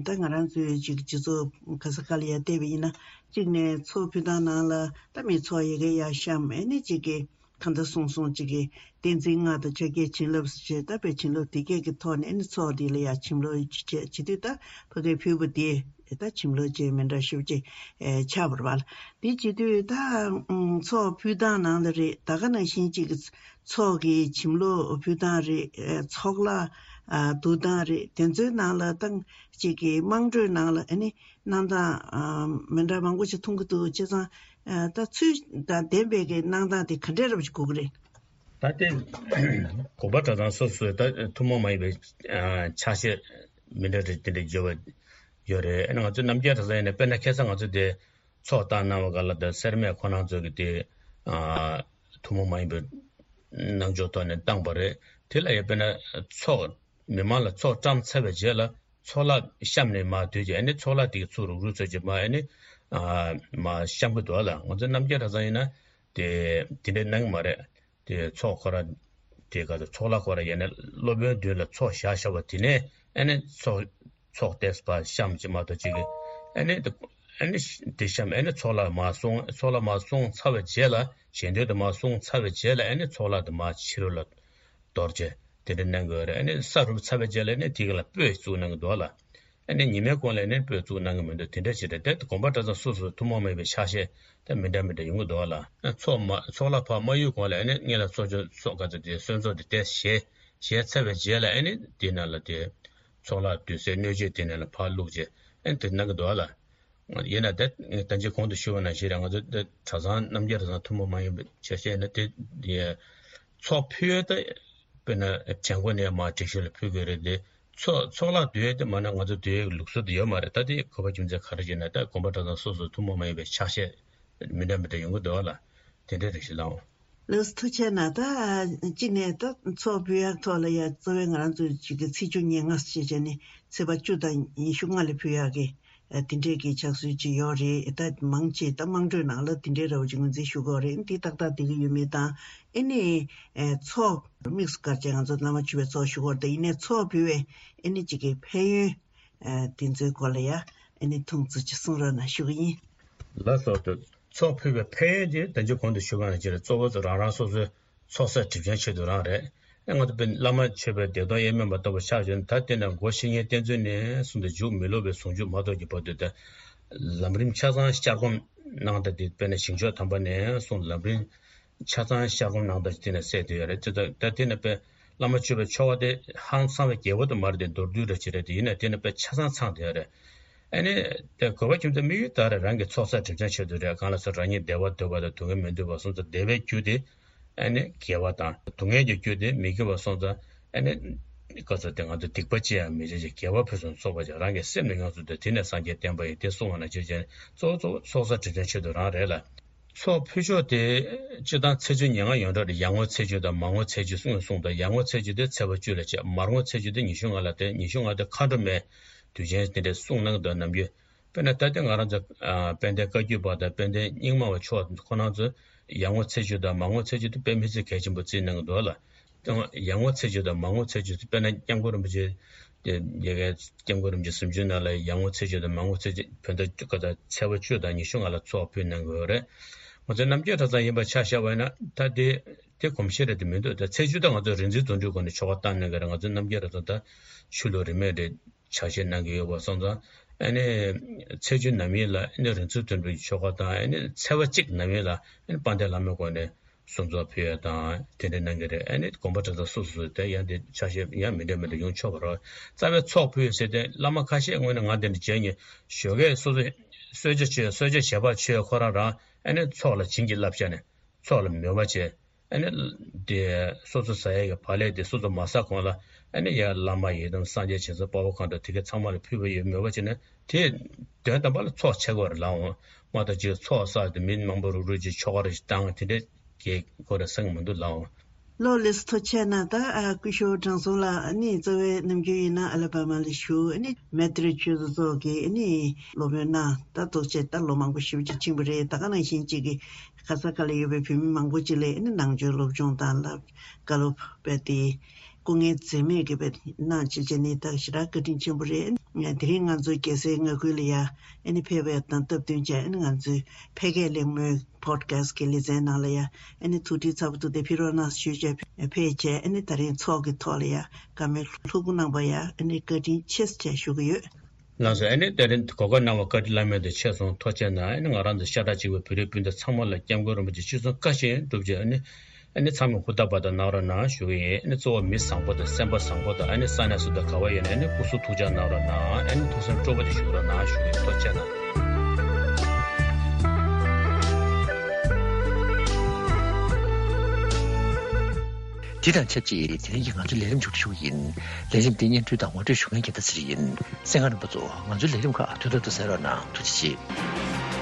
ད་ང་རང་ཚོའི་ཅིག་སྤྱི་ཚོགས་ག་ས་ག་ལ་ཡ་བལྟས་པ་ཡིན་ན་གཅིག་ནས་ཚོགས་ཕུལ་སྟངས་ནང་ལ་ད་མི་ཚོགས་ཡི་གེ་ཡ་བཤམས། ཨ་ནི་ཅིག་གི་གང་ལྟར་སོང་སོང་ཅིག་གི་བསྟན་འཛིན་སྔགས་དང་ཕྱག་རྒྱའི་བྱིན་རླབས་ཞེས་ད་དཔེ་བྱིན་རླབས་དེ་སྐད་ཀྱི་ཐོག་ནས་ཨ་ནི་ཚོགས་འདི་ལ་ཡ་བྱིན་རླབས་བྱེད་བྱེད་དུས་ད་ཕ་གིར་ཕུལ་བ་དེ་ད་བྱིན་རླབས་ཅན་མི་འདྲ་ཞིག་ཅིག་ཨེ་ཆགས་པ་རེད་པ། དེ་བྱེད་དུས་ད་ཚོགས་ཕུལ་སྟངས་ནང་ལ་རེད། ད་ག་ནང་བཞིན་ཅིག་གི་ཚོགས་ཀྱི་བྱིན་རླབས་ཕུལ་སྟངས་རེད། ཚོགས་ལ་བསྡུ་སྟངས་རེད། དེ་ཚོའི་ནང་ལ་ད་ཅིག་གི་དམངས་ཁྲོད་ནང་ལ་ཨ་ནི་གནང་སྟངས་མི་འདྲ་མང་པོ་ཞིག་མཐོང་གི་འདུག་བྱས་ཙང་ད་ཚུལ་དང་ལྡན་པའི་གི་གནང་སྟངས་དེ་ག་འདྲས་རབ་ཞིག་དགོས་ཀྱི་རེད། ད་ལྟའི་དགོན་པ་གྲྭ་ཚང་སོ་སོའི་ད་ཐུན་མོང་མ་ཡིན་པའི་ཕྱག་བཞེས་མི་འདྲ་རེ་དེ་འདྲ་བརྗོད་པ་ཡོད་རེད། ཨ་ནི་ང་ཚོ་རྣམ་རྒྱལ་གྲྭ་ཚང་ཡིན་ན་དཔེར་ན་ཁ་སང་ང་ཚོ་དེ་ཚོགས་བཏང་གནང་བ་ག་ལ་ད་སེར་སྨད་ཁོ་རང་ཚོ་གི་དེ་ཐུན་མོང་མ་ཡིན་པའི་གནང་ཕྱོགས་ཐོག་ནས་བཏང་པ་རེད། དེ་ལ་ཡང་དཔེར་ན་ཚོགས་མི་མང་ལ་ཚོགས་བཀྲམ་ཚར་བའི་རྗེས་ལ་ཚོགས་ལ་བཤམས་ནས་མར་སྡོད་ཀྱི་ཨ་ནི་ཚོགས་ལ་དེ་གི་ཚུར་རུག་རུག་ཚོད་ཀྱི་མར་ཨ་ནི་ ཨ་མ་བཤམས་གི་འདུག་ལ། ང་ཚོ་རྣམ་རྒྱལ་གྲྭ་ཚང་ཡིན་ན་དེ་དེ་འདྲའི་གནང་གི་མ་རེད། དེ་ཚོགས་ཁོ་ར་དེ་ག་ཚོད་ཚོགས་ལ་ཁོ་ར་ཡིན་ན་སློབ་དཔོན་མདུན་ལ་ཚོགས་བཞག་བཞག་པ་དེ་ནས་ཨ་ནི་ཚོགས་ཚོགས་ཏེས་པ་བཤམས་ཅིག་མ་གཏོགས་ཅིག་གི་ཨ་ནི་ཨ་ནི་དེ་བཤམས་ཨ་ནི་ཚོགས་ལ་མ་སོང་། ཚོགས་ལ་མ་སོང་ཚར་བའི་རྗེས་ལ་ཞལ་འདོན་དུ་མ་སོང་ཚར་བའི་རྗེས་ལ་ཨ་ནི་ཚོགས་ལ་དུ་མ་ཕྱི་རོལ་ལ་གཏོར་བྱས་དེ་འདྲ་གནང་དགོས་རེད། ཨ་ནི་ས་རུབ་ཚར་བའི་རྗེས་ལ་ཨ་ནི་དེ་ག་ལ་སྤོས་བཙུགས་གནང་གི་འདུག་ལ། ཨ་ནི་ཉི་མའི་གོང་ལ་ཨ་ནི་སྤོས་བཙུགས་གནང་གི་མི་འདུག་དེ་འདྲ་བྱས་ཏེ་དེ་དགོན་པ་གྲྭ་ཚང་སོ་སོའི་ཐུན་མོང་མ་ཡིན་པའི་ཕྱག་བཞེས་ད་མི་འདྲ་མི་འདྲ་ཡོང་གི་འདུག་ལ། ཚོགས་མ་ཚོགས་ལ་ཕར་མ་གཡུག་གོང་ལ་ཨ་ནི་སྔོན་ལ་ཚོགས་ཆོས་ཚོགས་ག་ཚོད་དེ་གསོལ་ཚོགས་དེ་དེ་བཞེས་བཞེས་ཚར་བའི་རྗེས་ལ་ཨ་ནི་དེ་ནང་ལ་དེ་ཚོགས་ལ་དུས་ཚོད་སྣོད་བཅུད་དེ་ནང་ལ་ཕར་བླུགས་བྱས་ཨ་ནི་དེ་གནང་གི་འདུག་ལ། ཡིན་ན་ད་ད་ཅི་གོང་དུ་ཞུས་པ་ནང་བཞིན་རེད། ང་ཚོ་ད་གྲྭ་ཚང་རྣམ་རྒྱལ་གྲྭ་ཚང་ཐུན་མོང་མ་ཡིན་པའི་ཆ་ཤས་ནི་དེ་ཡ་ཚོགས་ཕུལ་ཡོད་ད་དཔེར་ན་བྱེད་སྒོ་ནས་མར་སྒྲིག་གཞི་ལ་ཕུལ་དགོས་རེད་དེ། ཚོགས་ཚོགས་ལ་སྡོད་ཡས་དེ་མ་ན་ང་ཚོ་སྡོད་ཡས་ལུགས་སྲོལ་དེ་ཡོད་མ་རེད། ད་དེ་གོ་བ་རྒྱུ་མཚན་ག་རེ་བྱས་ན་ད་དགོན་པ་གྲྭ་ཚང་སོ་སོ་ཐུན་མོང་མ་ཡིན་པའི་ཕྱག་བཞེས་མི་འདྲ་མི་འདྲ་ཡོང་གི་འདུག་ལ། དེ་འདྲའི་རེ་ཞིག་ལའོ། ལགས་སོ་ཐུགས་རྗེ་གནང་། ད་གཅིག་ནས་ད་ཚོགས་ཕུལ་ཡག་ཐོག་ལ་ཡ་གཙོ་བོའི་ང་རང་ཚོའི་གཅིག་གི་ཚེས་བཅུ་ཉེར་ལྔ་ཞེས་བྱས་ནས་ཚེས་པ་བཅུ་དང་ཉི་ཤུ་ལྔ་ལ་ཕུལ་ཡག་གི་དེ་འདྲས་ཀྱི་ཕྱག་སྲོལ་ཅིག་ཡོད་རེད། ད་མང་ཆེ་ད་དམངས་ཁྲོད་ནང་ལ་དེ་འདྲས་ར་བ་ཅིག་ངོས་འཛིན་ཞུ་གི་ཡོད་རེད། འདི་ཏག་ཏག་བསྡད་ཀྱི་ཡོད་མེད་དང་ཨེ་ནི་ཚོགས་དམིགས་སུ་བཀར་བྱས་ང་ཚོ་བླ་མ་མཆོད་པའི་ཚོགས་ཞུ་གི་ཡོད་རེད། ད་ཡིན་ནའི་ཚོགས་ཕུལ་བའི་ཨེ་ནི་གཅིག་གི་ཕན་ཡོན་དེ་ཚོའི་སྐོར་ལ་ཡ་ཨེ་ནི་ཐུང་ཙམ་ཅིག་གསུང་རོགས་གནང་ཞུ་གི་ཡིན། ལགས་སོ། ད་ཚོགས་ཕུལ་བའི་ཕན་ཡོན་དེ་ད་ཅི་གོང་དུ་ཞུས་པ་ནང་བཞིན་རེད། གཙོ་བོ་ཚོ་རང་རང་སོ་སོའི་ཚོགས་བསགས་སྒྲིབ་སྦྱང་ཆེད་དུ་རང་རེད། ཨེ་ང་ཚོ་དཔེར་བླ་མ་མཆོད་པའི་བདེ་སྟོང་དབྱེར་མེད་པ་ལྟ་བུ་ཆགས་བྱུང་ན་ད་དེ་ནས་སྒོ་བཤེས་གཉེན་བསྟེན་ཚུལ་ནས་གསུངས་ཏེ་མཇུག་མི་སློབ་པའི་ཟུང་འཇུག་མ་ཐོབ་ཀྱི་བར་དུ་ད་ལམ་རིམ་ཆ་ཚང་བསྐྱར་སྒོམ་གནང་སྟེ་དེ་དཔེར་ན་ཞིང་མཆོག་དམ་པ་ནས་གསུངས་ལམ་རིམ་ཆ་ཚང་བསྐྱར་སྒོམ་གནང་སྟེ་དེ་ནས་སད་དེ་ཡོད་རེད། དེ་ད་དེ་ནས་དཔེར་བླ་མ་མཆོད་པའི་ཆོ་ག་དེ་ཧང་སང་བའི་རྒྱལ་པོ་དུ་མར་དེ་མདོར་བསྡུས་རེ་བྱེད་རེད། དེ་ཡིན་ན་དེ་ནས་དཔེར་ཆ་ཚང་ཚང་དེ་ཡོད་རེད། ཨ་ནི། དེ་དགོས་པ་ཁྱིམ་ཚང་དམིགས་ཡུལ་ལྟར་རང་གི་ཚོགས་བསགས་སྒྲིབ་སྦྱང་ཆེད་དུ་རེད། གང་ལ་སོགས་རང་ཉིད་བདེ་བ་འདོད་པ་དང་སྡུག་བསྔལ་མི་འདོད་པ་སོང་ཙང་བདེ་བའི་རྒྱུ་དེ་ཨ་ནི་དགེ་བ་དང་སྡུག་བསྔལ་གྱི་རྒྱུ་དེ་མི་དགེ་བ་སོང་ཙང་ཨ་ནི་ག་ཚོད་དེ་ང་ཚོ་སྡིག་པ་ཅི་ཡང་མི་བྱེད་ཅིང་དགེ་བ་ཕུན་སུམ་ཚོགས་པར་བྱ། རང་གི་སེམས་ནི་ཡོངས་སུ་འདུལ། དེ་ནི་སངས་རྒྱས་བསྟན་པ་ཡིན། དེ་གསུངས་པ་ནང་བཞིན་བྱས་ནས་གཙོ་བོ་གཙོ་བོ་ཚོགས་བསགས་སྒྲིབ་སྦྱང་ཆེད་དུ་རང་རེད་ལ། ཚོགས་ཕུལ་ཕྱོགས་དེ་སྤྱིར་བཏང་ཚེས་བཅུ་ཉེར་ལྔ་ཡོངས་གྲགས་རེད། ཡར་ངོའི་ཚེས་བཅུ་དང་མར་ངོའི་ཚེས་བཅུ་གསུངས་གསུངས་དང་། ཡར་ངོའི་ཚེས་བཅུ་དེ་ཚེས་པ་བཅུ་ལ་བྱེད། མར་ངོའི་ཚེས་བཅུ་དེ་ཉི་ཤུ་ལྔ་ལ་བསྟེན། ཉི་ཤུ་ལྔ་དེ་མཁའ་འགྲོ་མའི་དུས་ཆེན་དེ་འདྲའི་གསུངས་གནང་གི་འདུག་ནམ་རྒྱུན། དཔེར་ན་ད་ལྟ་ང་རང་ཚོ་ཨ་དཔལ་ལྡན་བཀའ་བརྒྱུད་པ་དང་དཔལ་ལྡན་རྙིང་མ་བ་མཆོག་ཁོ་རང་ཚོས་ཡར་ངོ་ཚེས་བཅུ་དང་མར་ངོ་ཚེས་བཅུ་དེ་དཔེ་མི་སྲིད་གལ་ཆེན་པོ་བརྩིས་གནང་གི་འདུག་ལ། དེ་ཡར་ངོ་ཚེས་བཅུ་དང་མར་ངོ་ཚེས་བཅུ་དེ་དཔེར་ན་སྐྱབས་མགོན་རིན་པོ་ཆེ་དེ་དེ་གའི་སྐྱབས་མགོན་རིན་པོ་ཆེ་གཟིམ་ཆུང་ནང་ལ་ཡར་ངོ་ཚེས་བཅུ་དང་མར་ངོ་ཚེས་བཅུ་བོད་ཟླ་བཅུ་ག་ཚེས་པ་བཅུ་དང་ཉི་ཤུ་ལྔ་ལ་ཚོགས་ཕུལ་གནང་གི་ཡོད་རེད། ང་ཚོའི་རྣམ་རྒྱལ་གྲྭ་ཚང་ཡིན་པ་ཆ་བཞག་པ་ཡིན་ན་ད་དེ་དེ་གོམས་གཤིས་རེད་དེ་མི་འདུག་ད་ཚེས་བཅུ་ད་ང་ཚོ་རིག་འཛིན་རྫུ་འཕྲུལ་སྒོ་ནས་ཆོ་ག་བཏང་གནང་གི་རེད། ང་ཚོའི་རྣམ་རྒྱལ་གྲྭ་ཚང་ད་ཆོས་ལུགས་རིས་མེད་རེད། ཕྱག་བཞེས་གནང་གི་ཡོད་པ་སོང་ཙང་ཨ་ནི་ཚེས་བཅུ་ནམ་ཡིན་ལ་ཨ་ནི་རིག་འཛིན་རྫུ་འཕྲུལ་གྱི་ཆོ་ག་དང་ཨ་ནི་ཚེས་པ་གཅིག་ནམ་ཡིན་ལ་ཨ་ནི་དཔལ་ལྡན་བླ་མའི་སྒོ་ནས་གསོལ་ཚོགས་ཕུལ་ཡ་དང་དེ་འདྲ་གནང་གི་རེད། ཨ་ནི་དགོན་པ་གྲྭ་ཚང་སོ་སོ་སོ་དེ་ཡང་དེ་ཕྱག་བཞེས་ཡང་མི་འདྲ་མི་འདྲ་ཡོང་ཆོག་པ་རེད། རྩ་བའི་ཚོགས་ཕུལ་ཟེར་ཏེ་བླ་མ་ཁ་ཤས་དངོས་གནས་ང་དེ་འདྲ་མཇལ་མྱོང་། ཞོགས་ཀས་སོ་སོ་གསོལ་ཇ་མཆོད། གསོལ་ཇ་བྱེད་པ་མཆོད། ཁོ་རང་རང་ཨ་ནི་ཚོགས་ལ་བྱིན་གྱིས་བརླབས་བྱས་ནས་ཚོགས་ལ་མོས་པ་བྱས། ཨ་ནི་དེ་སོ་སོ་ཟ་ཡ་གི་བག་ལེབ་དེ་སོ་སོ་མ་ཟ་གོང་ལ་ཨ་ནི་ཡར་བླ་མ་ཡི་དམ་སངས་རྒྱས་བྱང་སེམས་དཔའ་བོ་གང་དང་དེ་གའི་ཚང་མ་ལ་ཕུལ་བ་ཡོད་མོས་པ་བྱས་ནས་དེ་དོན་དམ་པ་ལ་ཚོགས་ཆེ་གོ་རེད་ལགས་འོང་། མ་གཏོགས་ཅིག་ཚོགས་བསགས་དེ་མི་མང་པོ་རུག་རུག་ཅིག་ཆོ་ག་རེ་ཞིག་བཏང་དེ་འདྲས་ཀྱི་གོ་རེ་སེང་མི་འདུག་ལགས་འོང་། ལོ་ལེགས་ཐུགས་རྗེ་གནང་། ད་ཨ་སྐུ་ཞབས་དྲང་སྲོང་ལགས་ཨ་ནི་གཙོ་བའི་ནམ་རྒྱུན་ཡིན་ན་ཨ་ལ་པ་མ་ལ་བཞུགས། ཨ་ནི་མེ་ཏྲི་ཆོས་རྫོང་གི་ཨ་ནི་སློབ་དཔོན་གནང་། ད་ཐུགས་རྗེ་ད་ལོ་མང་པོ་ཞེ་པོ་ཅིག་ཕྱིན་པ་རེད། ད་ག་ནང་བཞིན་ཅིག་གི་ག་ས་ག་ལ་ཡོད་པའི་བོད་མི་མང་པོ་ཅིག་ལ་ཨ་ནི་ནང་ཆོས་སློབ་སྦྱོང་དང་ལ་བཀའ་སློབ་སྤེལ་ཏེ་སྐུ་ངལ་འཛེམས་མེད་ཀྱི་བས་གནང་བྱེད་བྱས་ནི་ད་ཞེ་དྲག་བཀའ་དྲིན་ཆེན་པོ་རེད། དེ་རིང་ང་ཚོ་རྒྱལ་སའི་མངའ་ཁུལ་ལ་ཡ་ཨ་ནི་ཕེབས་པའི་དང་སྟབས་བསྟུན་བྱས་ཨ་ནི་ང་ཚོའི་ཕལ་སྐད་གླེང་མོལ་པོ་ཌི་ཁ་སི་ཊི་གི་ལེ་ཚན་ནང་ལ་ཡ་ཨ་ནི་ཐུགས་ཁྲིད་ཚ་པོ་ཐུགས་དེ་ཕི་རོ་ན་ཞུས་བྱས་ཕེབས་བྱས་ཨ་ནི་ད་རིང་ཚོགས་ཀྱི་ཐོག་ལ་ཡ་བཀའ་མོལ་ལྷུག་པོ་གནང་པ་ཡ་ཨ་ནི་བཀའ་དྲིན་ཆེ་ཟེར་བྱས་ཞུ་གི་ཡོད། ལགས་སོ། ཨ་ནི་དེ་རིང་གོ་སྐབས་གནང་བ་བཀའ་དྲིན་བླ་མེད་དུ་ཆེ་སོང་། ཐུགས་རྗེ་གནང་། ཨ་ནི་ང་རང་ཚོ་ཤ་ཁྲག་གཅིག་པའི་བོད་རིགས་སྤུན་ཟླ་ཚང་མ་ལ་སྐྱབས་མགོན་རིན་པོ་ཆེ་སྤྱི་གསུང་བཀའ་བཞིན་སྒྲུབ་ཅིག་ཨ་ནི་ཨ་ནི་ཚང་མས་ཧུར་ཐག་པ་དང་གནང་རོགས་གནང་ཞུ་གི་ཡིན། ཨ་ནི་གཙོ་བོ་མི་བཟང་པོ་དང་སེམས་པ་བཟང་པོ་དང་ཨ་ནི་ས་གནས་སུ་དང་ག་བ་ཡོད་ན་ཨ་ནི་སྐུ་གཟུགས་ཐུགས་ཅག་གནང་རོགས་གནང་། ཨ་ནི་ཐུགས་སེམས་སྤྲོ་པོ་དེ་ཞུ་རོགས་གནང་ཞུ་གི་ཡིན། ཐུགས་རྗེ་གནང་། དེ་དང་ཆབས་ཅིག་དེ་རིང་གི་ང་ཚོའི་ལས་རིམ་མཇུག་སྒྲིལ་ཞུ་གི་ཡིན། ལས་རིམ་འདི་སྙན་སྒྲོན་དང་ངོ་སྤྲོད་ཞུ་མཁན་རྒྱལ་ལྟ་ཚེ་རིང་ཡིན། གསན་མཁན་རྣམ་པ་ཚོ་ང་ཚོའི་ལས་རིམ་ཁག་དུས་ཐོག་ཏུ་གསན་རོགས་གནང་། ཐུགས་རྗེ་ཆེ།